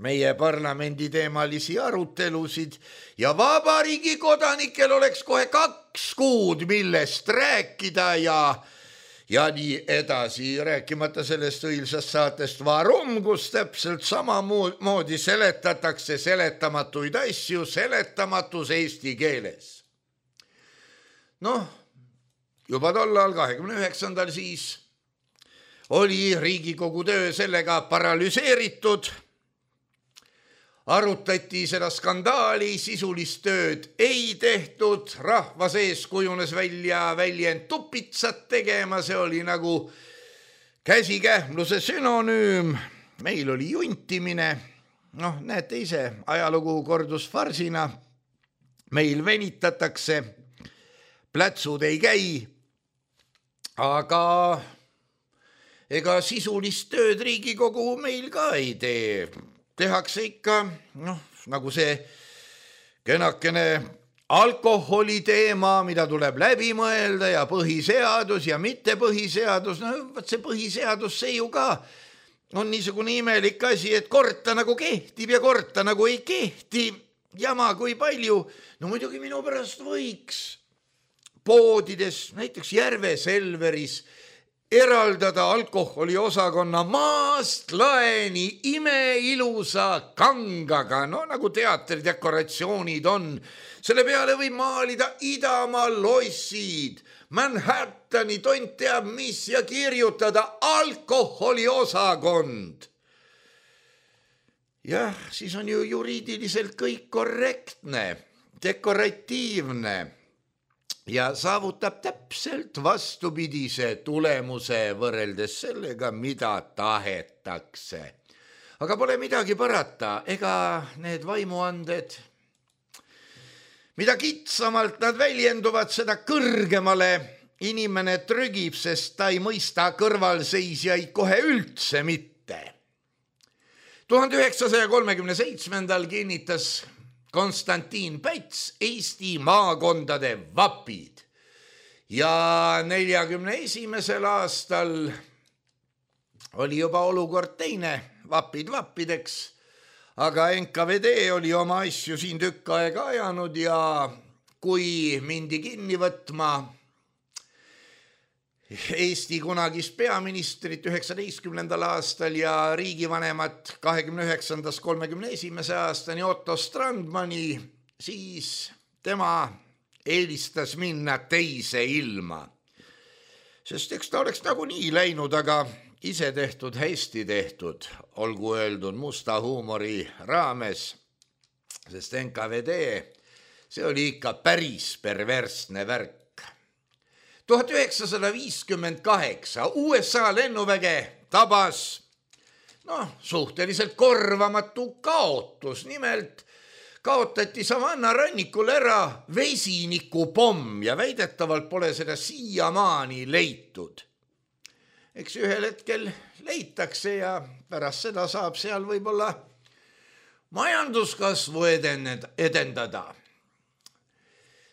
meie parlamendi teemalisi arutelusid ja vabariigi kodanikel oleks kohe kaks kuud, millest rääkida ja, ja nii edasi, rääkimata sellest õilsast saatest Varum, kus täpselt samamoodi seletatakse seletamatuid asju seletamatus eesti keeles. Noh, juba tollal kahekümne üheksandal siis oli Riigikogu töö sellega paralüseeritud. Arutati seda skandaali, sisulist tööd ei tehtud, rahva sees kujunes välja väljend tupitsat tegema, see oli nagu käsikähmluse sünonüüm. Meil oli juntimine, noh näete ise, ajalugu kordus farsina, meil venitatakse, plätsud ei käi, aga ega sisulist tööd Riigikogu meil ka ei tee. Tehakse ikka, noh, nagu see kenakene alkoholi teema, mida tuleb läbi mõelda ja põhiseadus ja mitte põhiseadus. No võt see põhiseadus, see ju ka on niisugune imelik asi, et korta nagu kehtib ja korta nagu ei kehti. Jama kui palju, no muidugi minu pärast võiks poodides, näiteks Järve Selveris, eraldada alkoholi osakonna maast laeni imeilusa kangaga, no nagu teatridekoratsioonid on. Selle peale võib maalida Idamaa lossid, Manhattani tont teab mis ja kirjutada alkoholi osakond. Jah, siis on ju juriidiliselt kõik korrektne, dekoratiivne ja saavutab täpselt vastupidise tulemuse võrreldes sellega, mida tahetakse. Aga pole midagi parata, ega need vaimuanded, mida kitsamalt nad väljenduvad, seda kõrgemale inimene trügib, sest ta ei mõista kõrvalseisjaid kohe üldse mitte. tuhande üheksasaja kolmekümne seitsmendal kinnitas Konstantin Päts Eesti maakondade vapid ja neljakümne esimesel aastal oli juba olukord teine, vapid vappideks, aga N K V D oli oma asju siin tükk aega ajanud ja kui mindi kinni võtma Eesti kunagist peaministrit üheksateistkümnendal aastal ja riigivanemat kahekümne üheksandast kolmekümne esimese aastani Otto Strandmani, siis tema eelistas minna teise ilma. Sest eks ta oleks nagu nii läinud, aga ise tehtud, hästi tehtud, olgu öeldud musta huumori raames, sest N K V D see oli ikka päris perversne värk. tuhat üheksasada viiskümmend kaheksa U S A lennuväge tabas noh, suhteliselt korvamatu kaotus. Nimelt kaotati Savanna rannikul ära vesinikupomm ja väidetavalt pole seda siiamaani leitud. Eks ühel hetkel leitakse ja pärast seda saab seal võib-olla majanduskasvu edendada.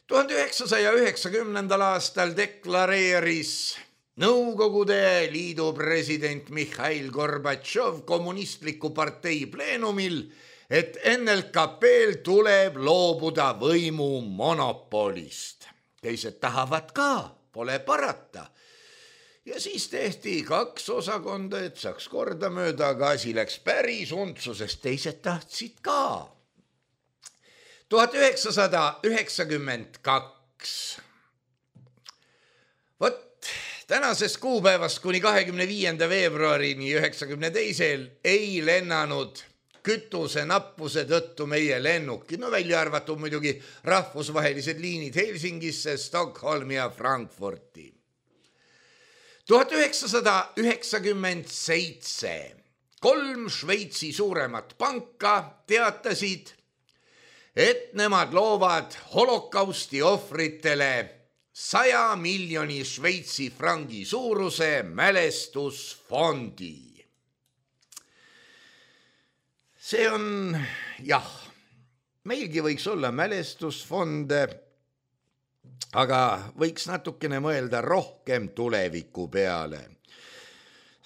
tuhande üheksasaja üheksakümnendal aastal deklareeris Nõukogude Liidu president Mihhail Gorbatšov kommunistliku partei pleenumil, et N L K P-l tuleb loobuda võimu monopolist. Teised tahavad ka, pole parata. Ja siis tehti kaks osakonda, et saaks korda mööda, aga asi läks päris untsu, sest teised tahtsid ka. tuhat üheksasada üheksakümmend kaks. Vot tänasest kuupäevast kuni kahekümne viienda veebruarini üheksakümne teisel ei lennanud kütuse nappuse tõttu meie lennuki, no välja arvatud muidugi rahvusvahelised liinid Helsingisse, Stockholmi ja Frankfurti. tuhat üheksasada üheksakümmend seitse. Kolm Šveitsi suuremat panka teatasid, et nemad loovad holokausti ohvritele saja miljoni Šveitsi frangi suuruse mälestusfondi. See on, jah, meilgi võiks olla mälestusfonde, aga võiks natukene mõelda rohkem tuleviku peale.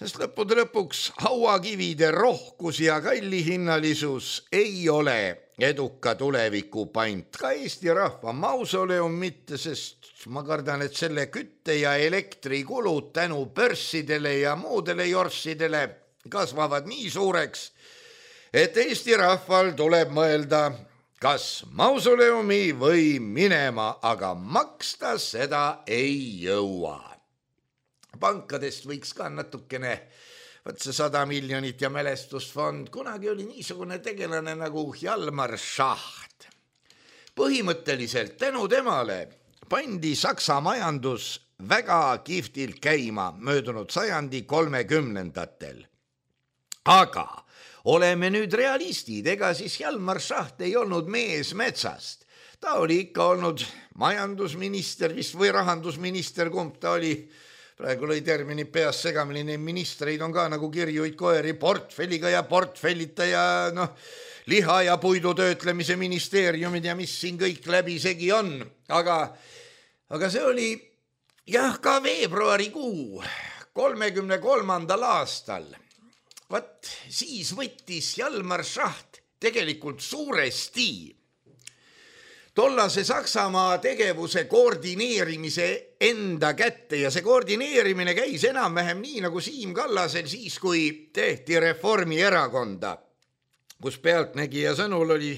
Sest lõppude lõpuks hauakivide rohkus ja kallihinnalisus ei ole eduka tuleviku pant. Ka Eesti rahva mausoleum mitte, sest ma kardan, et selle kütte ja elektrikulud tänu börssidele ja muudele jorssidele kasvavad nii suureks, et Eesti rahval tuleb mõelda, kas mausoleumi või minema, aga maksta seda ei jõua. Pankadest võiks ka natukene, võt see sada miljonit ja mälestusfond, kunagi oli niisugune tegelane nagu Hjalmar Schacht. Põhimõtteliselt tänu temale pandi Saksa majandus väga kihvtilt käima möödunud sajandi kolmekümnendatel. Aga oleme nüüd realistid, ega siis Hjalmar Schacht ei olnud mees metsast. Ta oli ikka olnud majandusminister vist või rahandusminister, kumb ta oli. Praegu lõi termini peas segamini, neid ministreid on ka nagu kirjuid koeri, portfelliga ja portfellita ja noh, liha ja puidu töötlemise ministeeriumid ja mis siin kõik läbi segi on. Aga, aga see oli jah ka veebruarikuu kolmekümne kolmandal aastal. Vat siis võttis Hjalmar Schacht tegelikult suuresti tollase Saksamaa tegevuse koordineerimise enda kätte ja see koordineerimine käis enam-vähem nii nagu Siim Kallasel siis, kui tehti Reformierakonda, kus pealtnägija sõnul oli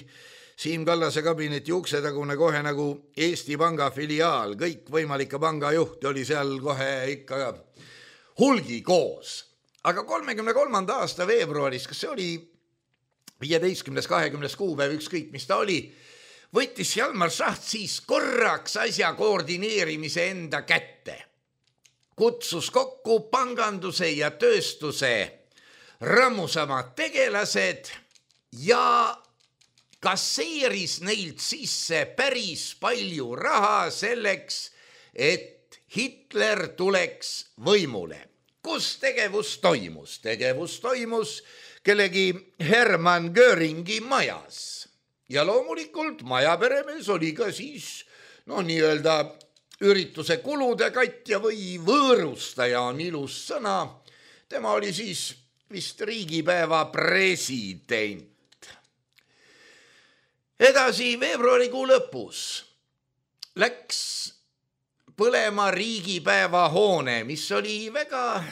Siim Kallase kabineti uksetagune kohe nagu Eesti Panga filiaal, kõik võimalike pangajuht oli seal kohe ikka hulgi koos. Aga kolmekümne kolmanda aasta veebruaris, kas see oli viieteistkümnes kahekümnes kuupäev, ükskõik mis ta oli, võttis Hjalmar Schacht siis korraks asja koordineerimise enda kätte. Kutsus kokku panganduse ja tööstuse rammusamad tegelased ja kasseeris neilt sisse päris palju raha selleks, et Hitler tuleks võimule. Kus tegevus toimus? Tegevus toimus kellegi Hermann Göringi majas. Ja loomulikult majaperemees oli ka siis, no nii-öelda ürituse kulude katja või võõrustaja on ilus sõna. Tema oli siis vist riigipäeva president. Edasi veebruarikuu lõpus läks põlema riigipäeva hoone, mis oli väga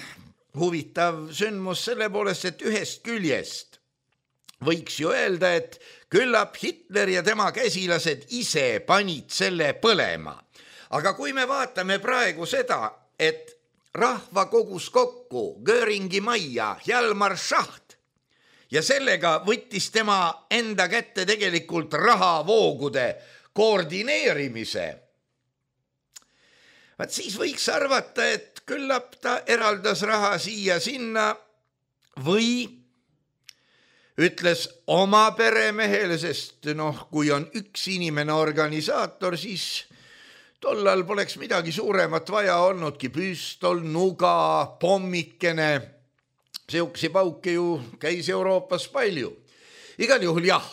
huvitav sündmus selle poolest, et ühest küljest võiks ju öelda, et küllap Hitler ja tema käsilased ise panid selle põlema. Aga kui me vaatame praegu seda, et rahva kogus kokku Göringi majja Hjalmar Schacht ja sellega võttis tema enda kätte tegelikult rahavoogude koordineerimise. Vaat siis võiks arvata, et küllap ta eraldas raha siia sinna või ütles oma peremehele, sest noh, kui on üks inimene organisaator, siis tollal poleks midagi suuremat vaja olnudki, püstol, nuga, pommikene, sihukesi pauke ju käis Euroopas palju. Igal juhul jah,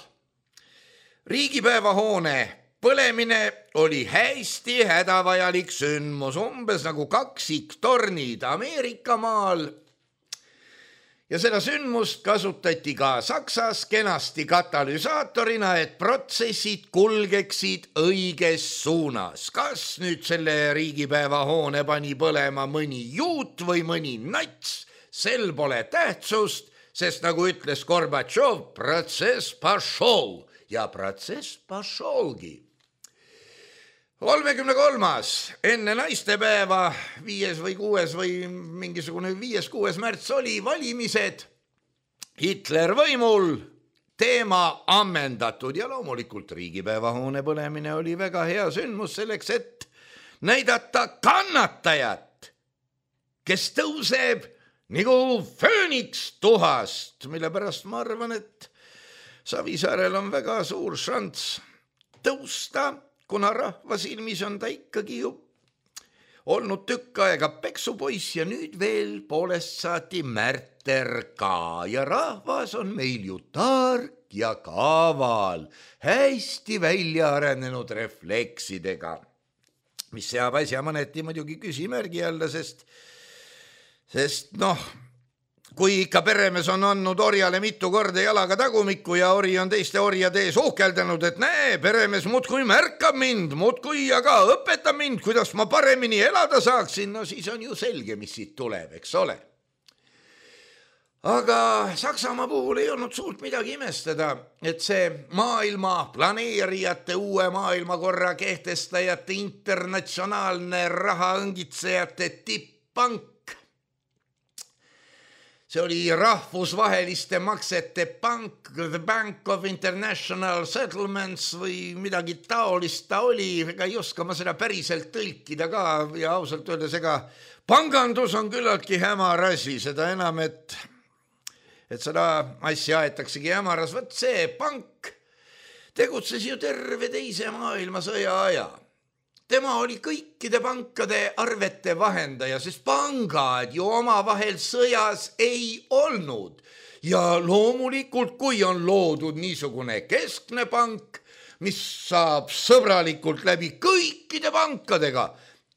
riigipäevahoone põlemine oli hästi hädavajalik sündmus, umbes nagu kaksiktornid Ameerika maal. Ja seda sündmust kasutati ka Saksas kenasti katalüsaatorina, et protsessid kulgeksid õiges suunas. Kas nüüd selle riigipäevahoone pani põlema mõni juut või mõni nats, sel pole tähtsust, sest nagu ütles Gorbatšov, protsess pašol ja protsess pašolgi. kolmekümne kolmas enne naistepäeva, viies või kuues või mingisugune viies, kuues märts oli valimised, Hitler võimul, teema ammendatud ja loomulikult riigipäevahoone põlemine oli väga hea sündmus selleks, et näidata kannatajat, kes tõuseb nagu fööniks tuhast, mille pärast ma arvan, et Savisaarel on väga suur šanss tõusta, kuna rahva silmis on ta ikkagi ju olnud tükk aega peksupoiss ja nüüd veel poolest saati märter ka ja rahvas on meil ju tark ja kaval, hästi välja arenenud refleksidega, mis seab asja mõneti muidugi küsimärgi alla, sest, sest noh, kui ikka peremees on andnud orjale mitu korda jalaga tagumikku ja ori on teiste orjade ees uhkeldanud, et näe, peremees muudkui märkab mind, muudkui aga õpetab mind, kuidas ma paremini elada saaksin, no siis on ju selge, mis siit tuleb, eks ole. Aga Saksamaa puhul ei olnud suurt midagi imestada, et see maailma planeerijate, uue maailmakorra kehtestajate, internatsionaalne rahaõngitsejate tipp-pank, see oli rahvusvaheliste maksete pank, The Bank of International Settlements või midagi taolist ta oli, ega ei oska ma seda päriselt tõlkida ka ja ausalt öeldes, ega pangandus on küllaltki hämar asi, seda enam, et, et seda asja aetaksegi hämaras. Võt see pank tegutses ju terve teise maailmasõja aja. Tema oli kõikide pankade arvete vahendaja, sest pangad ju omavahel sõjas ei olnud. Ja loomulikult, kui on loodud niisugune keskne pank, mis saab sõbralikult läbi kõikide pankadega,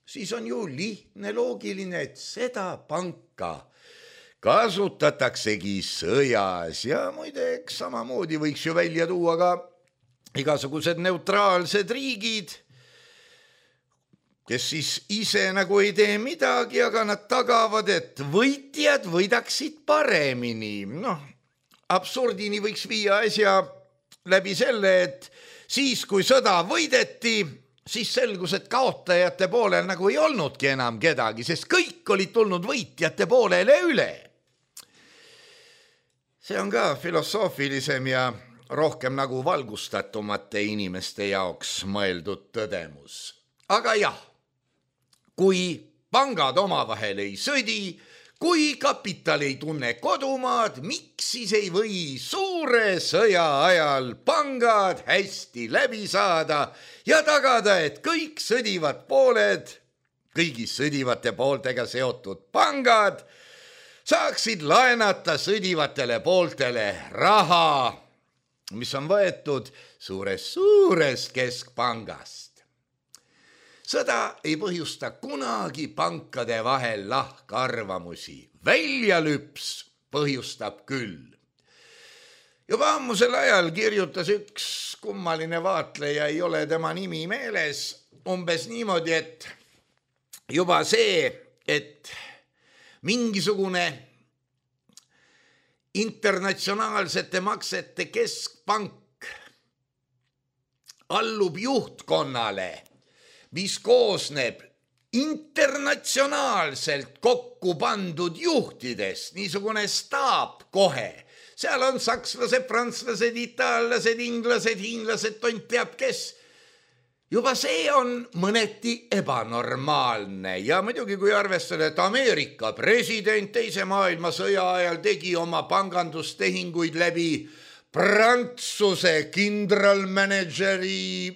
siis on ju lihtne loogiline, et seda panka kasutataksegi sõjas. Ja muideks samamoodi võiks ju välja tuua ka igasugused neutraalsed riigid, kes siis ise nagu ei tee midagi, aga nad tagavad, et võitjad võidaksid paremini. Noh, absurdini võiks viia asja läbi selle, et siis, kui sõda võideti, siis selgus, et kaotajate poolel nagu ei olnudki enam kedagi, sest kõik olid tulnud võitjate poolele üle. See on ka filosoofilisem ja rohkem nagu valgustatumate inimeste jaoks mõeldud tõdemus. Aga jah, kui pangad omavahel ei sõdi, kui kapital ei tunne kodumaad, miks siis ei või suure sõja ajal pangad hästi läbi saada ja tagada, et kõik sõdivad pooled, kõigis sõdivate pooltega seotud pangad saaksid laenata sõdivatele pooltele raha, mis on võetud suurest, suurest keskpangast. Sõda ei põhjusta kunagi pankade vahel lahkarvamusi. Väljalüps põhjustab küll. Juba ammusel ajal kirjutas üks kummaline vaatleja, ei ole tema nimi meeles, umbes niimoodi, et juba see, et mingisugune internatsionaalsete maksete keskpank allub juhtkonnale, mis koosneb internatsionaalselt kokku pandud juhtidest, niisugune staap kohe. Seal on sakslased, prantslased, itaallased, inglased, hiinlased, tont teab kes. juba see on mõneti ebanormaalne ja muidugi kui arvestada, et Ameerika president teise maailmasõja ajal tegi oma pangandustehinguid läbi Prantsuse kindralmanageri,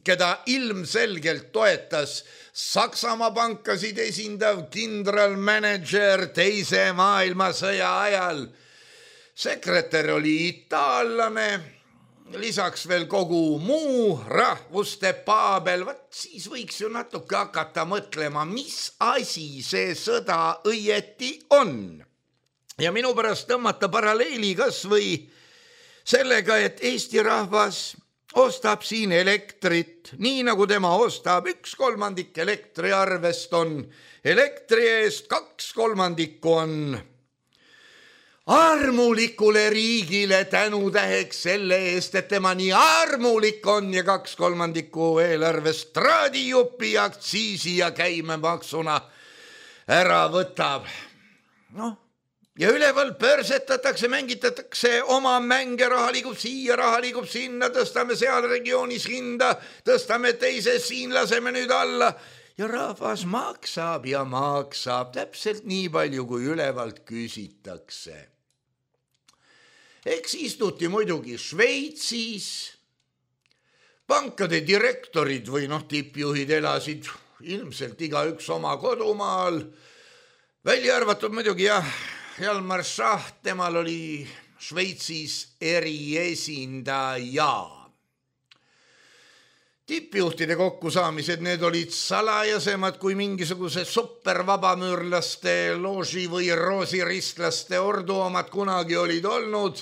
keda ilmselgelt toetas Saksamaa pankasid esindav kindralmanager teise maailmasõja ajal. Sekretär oli itaallane, lisaks veel kogu muu rahvuste paabel, vaat siis võiks ju natuke hakata mõtlema, mis asi see sõda õieti on. Ja minu pärast tõmmata paralleeli kas või sellega, et Eesti rahvas ostab siin elektrit, nii nagu tema ostab üks kolmandik elektriarvest on elektri eest, kaks kolmandikku on armulikule riigile tänutäheks selle eest, et tema nii armulik on ja kaks kolmandikku eelarvest traadijupi aktsiisi ja käimemaksuna ära võtab. Noh, ja üleval pörsetatakse, mängitatakse oma mänge, raha liigub siia, raha liigub sinna, tõstame seal regioonis hinda, tõstame teises, siin laseme nüüd alla ja rahvas maksab ja maksab täpselt nii palju, kui ülevalt küsitakse. Eks istuti muidugi Šveitsis, pankade direktorid või noh, tippjuhid elasid ilmselt igaüks oma kodumaal, välja arvatud muidugi jah, Hjalmar Schacht, temal oli Šveitsis eriesindaja. Tippjuhtide kokkusaamised, need olid salajasemad kui mingisuguse supervabamüürlaste looži või roosiristlaste ordu omad kunagi olid olnud.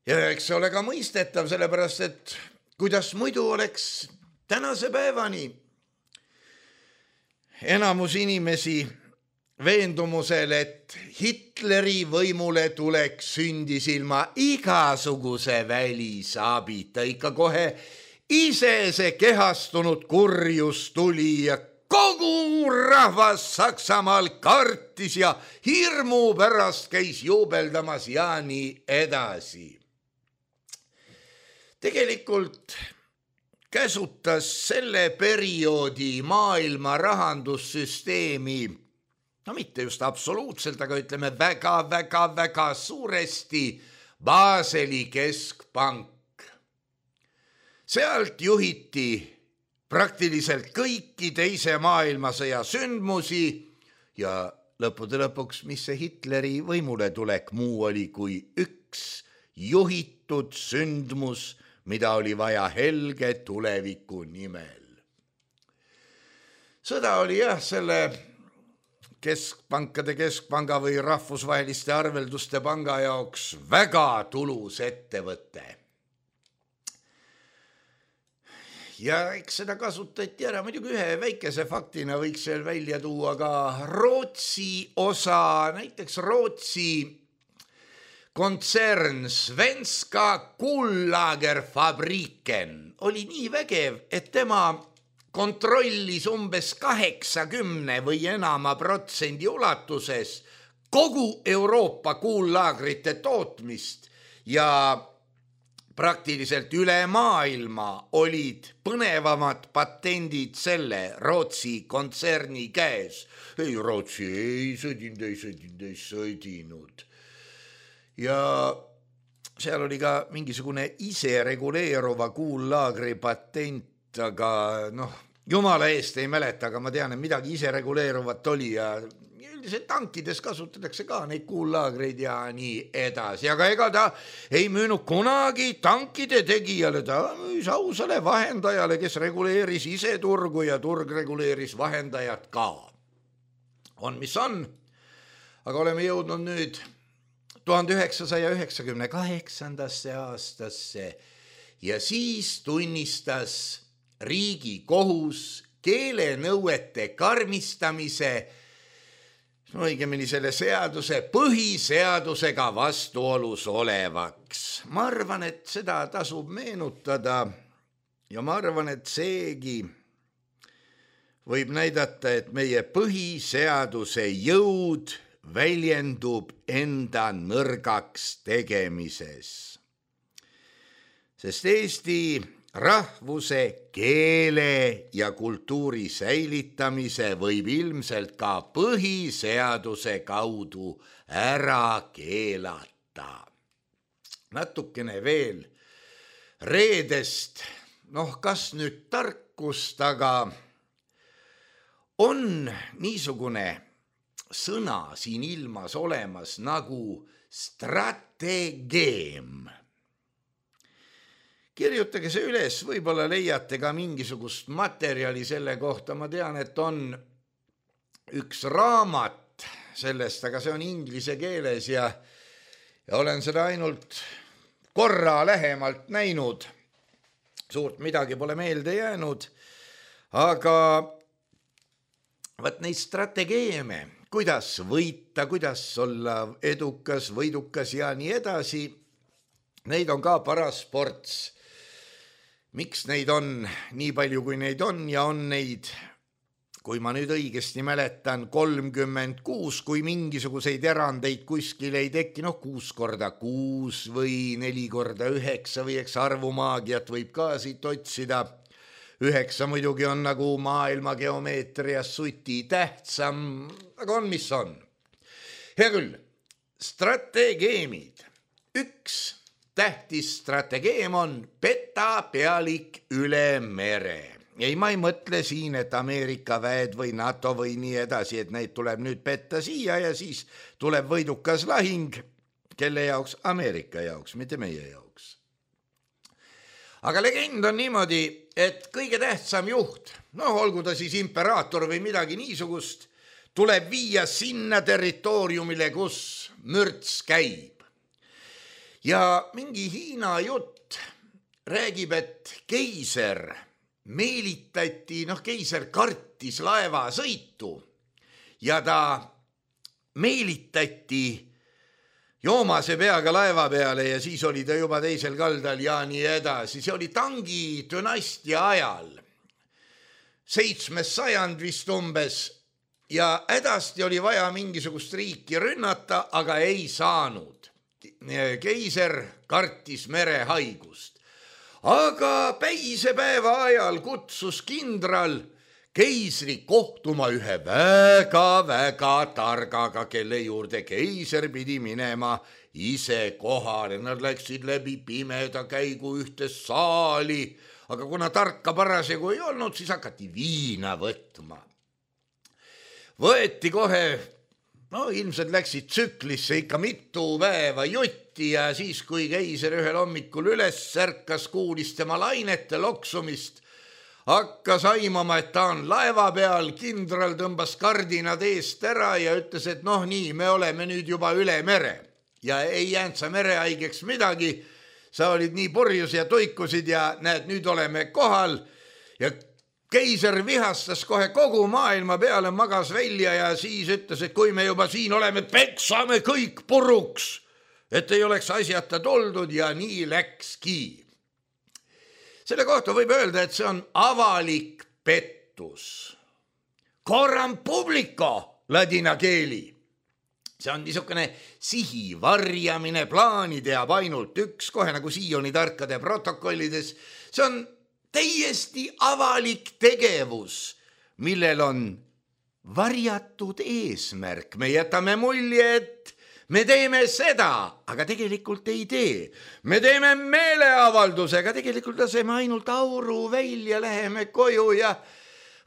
Ja eks see ole ka mõistetav, sellepärast, et kuidas muidu oleks tänase päevani enamus inimesi veendumusel, et Hitleri võimule tuleks sündis ilma igasuguse välisabita, ikka kohe ise see kehastunud kurjus tuli ja kogu rahvas Saksamaal kartis ja hirmu pärast käis juubeldamas ja nii edasi. Tegelikult käsutas selle perioodi maailma rahandussüsteemi, no mitte just absoluutselt, aga ütleme väga, väga, väga suuresti Baseli keskpank. Sealt juhiti praktiliselt kõiki teise maailmasõja sündmusi ja lõppude lõpuks, mis see Hitleri võimule tulek muu oli kui üks juhitud sündmus, mida oli vaja helge tuleviku nimel. Sõda oli jah, selle keskpankade keskpanga või rahvusvaheliste arvelduste panga jaoks väga tulus ettevõte. Ja eks seda kasutati ära, muidugi ühe väikese faktina võiks veel välja tuua ka Rootsi osa, näiteks Rootsi kontsern Svenska Kullagerfabriken oli nii vägev, et tema kontrollis umbes kaheksakümne või enama protsendi ulatuses kogu Euroopa kuullaagrite tootmist ja praktiliselt üle maailma olid põnevamad patendid selle Rootsi kontserni käes. Ei, Rootsi ei sõdinud, ei sõdinud, ei sõdinud. Ja seal oli ka mingisugune isereguleeruva kuullaagri patent, aga noh, jumala eest ei mäleta, aga ma tean, et midagi isereguleeruvat oli ja üldiselt tankides kasutatakse ka neid kuullaagreid ja nii edasi, aga ega ta ei müünud kunagi tankide tegijale, ta müüs ausale vahendajale, kes reguleeris ise turgu ja turg reguleeris vahendajat ka. On, mis on, aga oleme jõudnud nüüd tuhande üheksasaja üheksakümne kaheksandasse aastasse ja siis tunnistas riigi kohus keelenõuete karmistamise, no õigemini selle seaduse põhiseadusega vastuolus olevaks. Ma arvan, et seda tasub meenutada ja ma arvan, et seegi võib näidata, et meie põhiseaduse jõud väljendub enda nõrgaks tegemises. Sest Eesti rahvuse, keele ja kultuuri säilitamise võib ilmselt ka põhiseaduse kaudu ära keelata. Natukene veel reedest, noh kas nüüd tarkust, aga on niisugune sõna siin ilmas olemas nagu strategeem. Kirjutage see üles, võib-olla leiate ka mingisugust materjali selle kohta. Ma tean, et on üks raamat sellest, aga see on inglise keeles ja, ja olen seda ainult korra lähemalt näinud. Suurt midagi pole meelde jäänud, aga vaat neid strategeeme, kuidas võita, kuidas olla edukas, võidukas ja nii edasi, neid on ka paras ports. Miks neid on nii palju, kui neid on ja on neid, kui ma nüüd õigesti mäletan, kolmkümmend kuus, kui mingisuguseid erandeid kuskil ei teki, noh kuus korda kuus või neli korda üheksa või eks arvumaagiat võib ka siit otsida. Üheksa muidugi on nagu maailma geomeetrias suti tähtsam, aga on mis on. Hea küll, strategeemid. Üks tähtis strategeem on peta pealik üle mere. Ei, ma ei mõtle siin, et Ameerika väed või NATO või nii edasi, et neid tuleb nüüd petta siia ja siis tuleb võidukas lahing, kelle jaoks? Ameerika jaoks, mitte meie jaoks. Aga legend on niimoodi, et kõige tähtsam juht, noh olgu ta siis imperaator või midagi niisugust, tuleb viia sinna territooriumile, kus mürts käib. Ja mingi Hiina jutt räägib, et keiser meelitati, noh keiser kartis laevasõitu ja ta meelitati joomase peaga laeva peale ja siis oli ta juba teisel kaldal ja nii edasi. See oli Tangi dünastia ajal, seitsmes sajand vist umbes ja hädasti oli vaja mingisugust riiki rünnata, aga ei saanud. Keiser kartis merehaigust, aga päisepäeva ajal kutsus kindral keisri kohtuma ühe väga-väga targaga, kelle juurde keiser pidi minema ise kohale. Nad läksid läbi pimeda käigu ühte saali, aga kuna tarka parasjagu ei olnud, siis hakati viina võtma. Võeti kohe, no ilmselt läksid tsüklisse ikka mitu päeva jutti ja siis, kui keiser ühel hommikul üles särkas, kuulis tema lainete loksumist, hakkas aimama, et ta on laeva peal, kindral tõmbas kardinad eest ära ja ütles, et noh nii, me oleme nüüd juba üle mere ja ei jäänud sa merehaigeks midagi, sa olid nii purjus ja tuikusid ja näed, nüüd oleme kohal ja keiser vihastas kohe kogu maailma peale, magas välja ja siis ütles, et kui me juba siin oleme, peksame kõik puruks, et ei oleks asjata toldud ja nii läkski. Selle kohta võib öelda, et see on avalik pettus. Coram publico ladina keeli. See on niisugune sihi varjamine, plaani teab ainult üks, kohe nagu Sioni tarkade protokollides. See on täiesti avalik tegevus, millel on varjatud eesmärk. Me jätame mulje, et me teeme seda, aga tegelikult ei tee. Me teeme meeleavalduse, aga tegelikult laseme ainult auru välja, läheme koju ja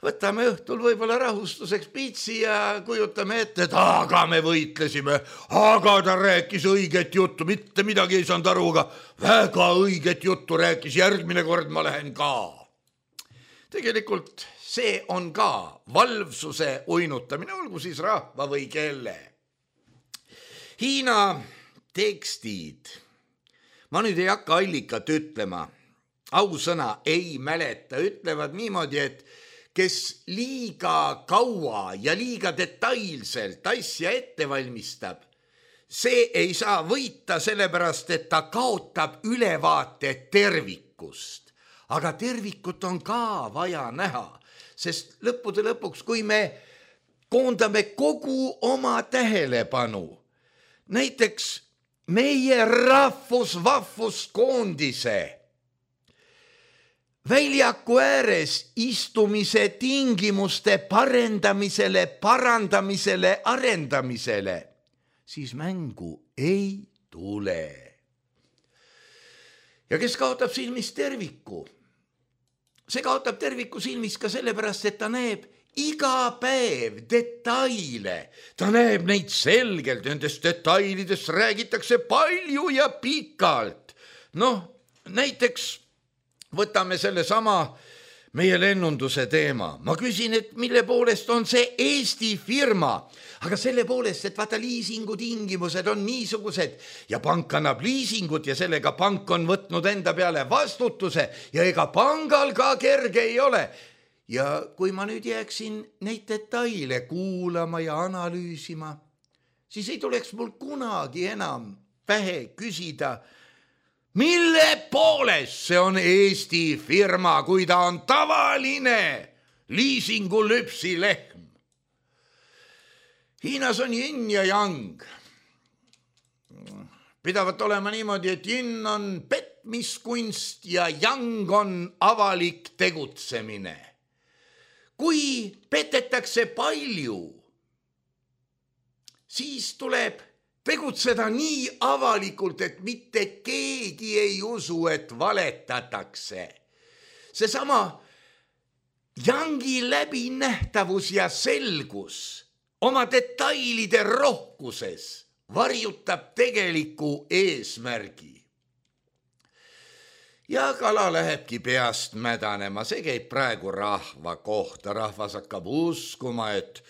võtame õhtul võib-olla rahustuseks piitsi ja kujutame ette, et aga me võitlesime, aga ta rääkis õiget juttu, mitte midagi ei saanud aru, aga väga õiget juttu rääkis, järgmine kord ma lähen ka. Tegelikult see on ka valvsuse uinutamine, olgu siis rahva või kelle. Hiina tekstid, ma nüüd ei hakka allikat ütlema, ausõna ei mäleta, ütlevad niimoodi, et kes liiga kaua ja liiga detailselt asja ette valmistab, see ei saa võita sellepärast, et ta kaotab ülevaate tervikust. Aga tervikut on ka vaja näha, sest lõppude lõpuks, kui me koondame kogu oma tähelepanu, näiteks meie rahvusvahvuskoondise väljaku ääres istumise tingimuste parendamisele, parandamisele, arendamisele, siis mängu ei tule. Ja kes kaotab silmis terviku? See kaotab terviku silmis ka sellepärast, et ta näeb iga päev detaile. Ta näeb neid selgelt, nendest detailidest räägitakse palju ja pikalt. Noh, näiteks võtame selle sama meie lennunduse teema. Ma küsin, et mille poolest on see Eesti firma, aga selle poolest, et vaata liisingu tingimused on niisugused ja pank annab liisingut ja sellega pank on võtnud enda peale vastutuse ja ega pangal ka kerge ei ole. Ja kui ma nüüd jääksin neid detaile kuulama ja analüüsima, siis ei tuleks mul kunagi enam pähe küsida, mille poolest see on Eesti firma, kui ta on tavaline liisingu lüpsilehm. Hiinas on yin ja yang. Pidavat olema niimoodi, et yin on petmiskunst ja yang on avalik tegutsemine. Kui petetakse palju, siis tuleb tegutseda nii avalikult, et mitte keegi ei usu, et valetatakse. Seesama yangi läbinähtavus ja selgus oma detailide rohkuses varjutab tegeliku eesmärgi. Ja kala lähebki peast mädanema, see käib praegu rahva kohta. Rahvas hakkab uskuma, et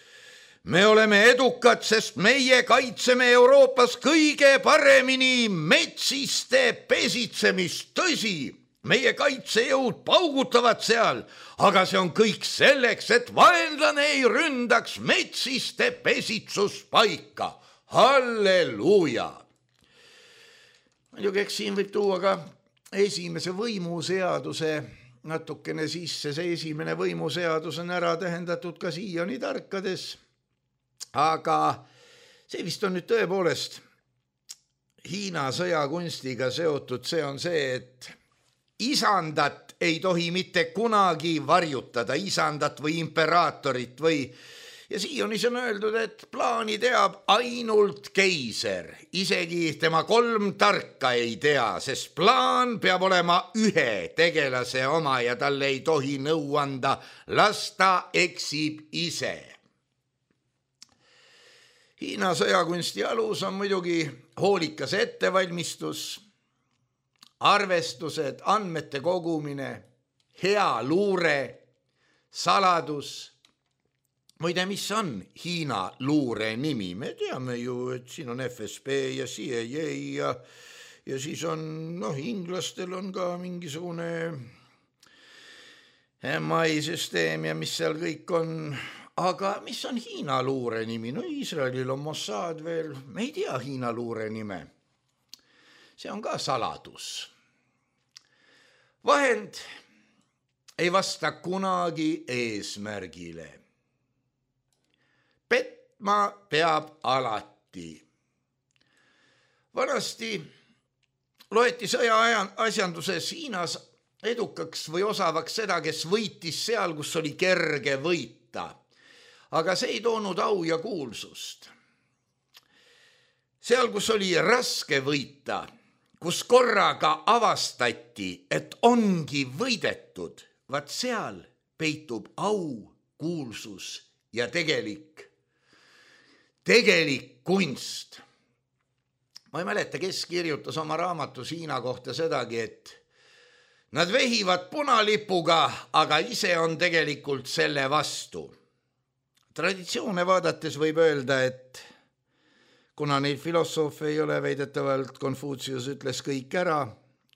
me oleme edukad, sest meie kaitseme Euroopas kõige paremini metsiste pesitsemist. Tõsi, meie kaitsejõud paugutavad seal, aga see on kõik selleks, et vaenlane ei ründaks metsiste pesitsuspaika. Halleluuja! Muidugi, eks siin võib tuua ka esimese võimuseaduse natukene sisse. See esimene võimuseadus on ära tähendatud ka siiani tarkades. Aga see vist on nüüd tõepoolest Hiina sõjakunstiga seotud. See on see, et isandat ei tohi mitte kunagi varjutada, isandat või imperaatorit või, ja siiani on öeldud, et plaani teab ainult keiser, isegi tema kolm tarka ei tea, sest plaan peab olema ühe tegelase oma ja talle ei tohi nõu anda, las ta eksib ise. Hiina sõjakunsti alus on muidugi hoolikas ettevalmistus, arvestused, andmete kogumine, hea luure, saladus. Muide, mis on Hiina luure nimi? Me teame ju, et siin on F S B ja C I A ja, ja siis on, noh, inglastel on ka mingisugune M I süsteem ja mis seal kõik on. Aga mis on Hiina luure nimi? No Iisraelil on Mossad veel, me ei tea Hiina luure nime. See on ka saladus. Vahend ei vasta kunagi eesmärgile. Petma peab alati. Vanasti loeti sõja asjanduses Hiinas edukaks või osavaks seda, kes võitis seal, kus oli kerge võita. Aga see ei toonud au ja kuulsust. Seal, kus oli raske võita, kus korraga avastati, et ongi võidetud, vaat seal peitub au, kuulsus ja tegelik, tegelik kunst. Ma ei mäleta, kes kirjutas oma raamatus Hiina kohta sedagi, et nad vehivad punalipuga, aga ise on tegelikult selle vastu. Traditsioone vaadates võib öelda, et kuna neid filosoofe ei ole, väidetavalt Konfutsius ütles kõik ära,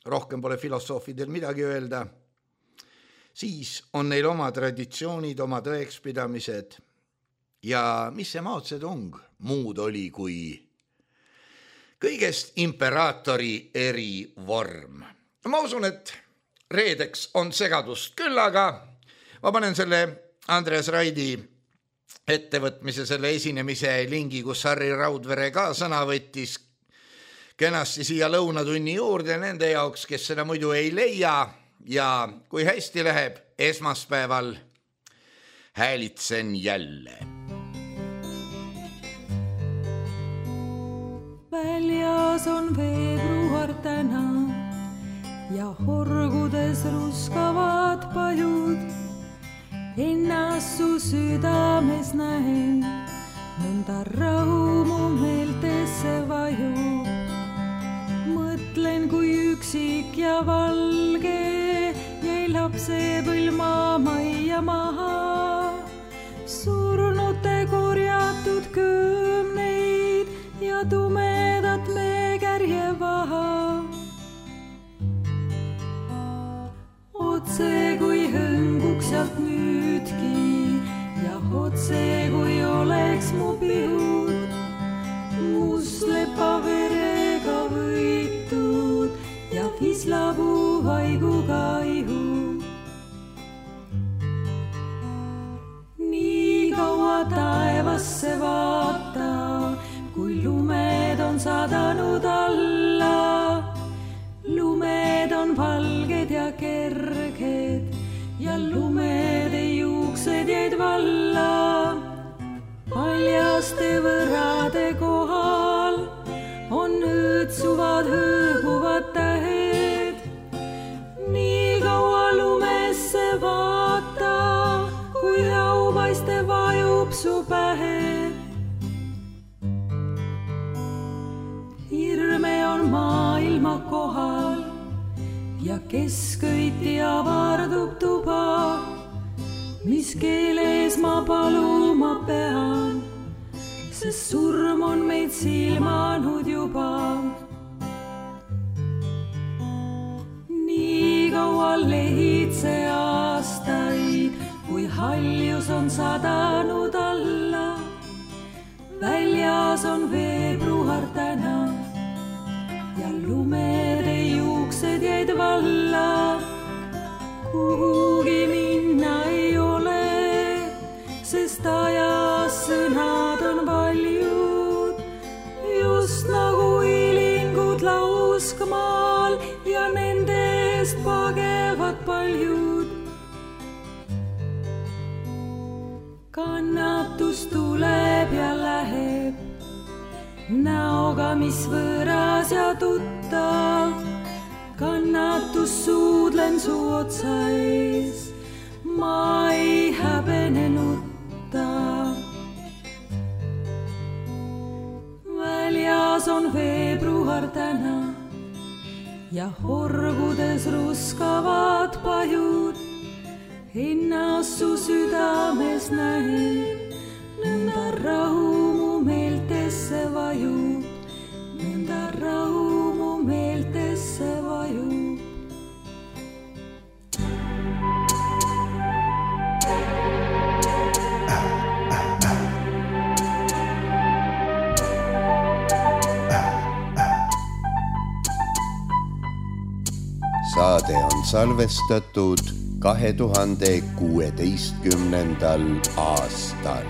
rohkem pole filosoofidel midagi öelda, siis on neil oma traditsioonid, oma tõekspidamised ja mis see Mao Zedong muud oli kui kõigest imperaatori erivorm. Ma usun, et reedeks on segadust küll, aga ma panen selle Andres Raidi ettevõtmise, selle esinemise lingi, kus Harri Raudvere ka sõna võttis kenasti siia lõunatunni juurde nende jaoks, kes seda muidu ei leia. ja kui hästi läheb esmaspäeval, häälitsen jälle. Väljas on veebruar täna ja horgudes ruskavad pajud. Ennast su südames näen, nõnda rahu mu meeltesse vajub. Mõtlen, kui üksik ja valge jäi lapsepõlv maamajja maha. Surnute korjatud kümneid ja tumedat meekärje vaha. Otse kui hõnguks sealt nüüdki ja otse kui oleks mu pihud. Must lepa verega võitud ja vislapuu vaiguga ihu. Nii kaua taevasse vaata, kui lumed on sadanud alla. Lumed on valged ja kerged ja lumede juuksed jäid valla. Paljaste võrade kohal on õõtsuvad hõõguvad tähed. Nii kaua lumesse vaata, kui aupaiste vajub su pähe. Hirme on maailma kohal ja keskõiti avardub tuba. Mis keeles ma paluma pean, sest surm on meid silmanud juba. Nii kaua lehitse aastaid, kui haljus on sadanud alla. Väljas on veebruar täna ja lumede juuksed jäid valla. Kuhugi minna ei ole, sest ajas sõnad on valjud. Just nagu ilingud lauskmaal ja nende eest pagevad paljud. Kannatus tuleb ja läheb, näoga mis võõras ja tuttav. Kannatus suudlen su otsa ees, ma ei häbenenutta. Väljas on veebruar täna ja horgudes ruskavad pajud. Ennast su südames näen, nõnda rahu mu meeltesse vajub. Nõnda rahu mu meeltesse vajub. Saade on salvestatud kahe tuhande kuueteistkümnendal aastal.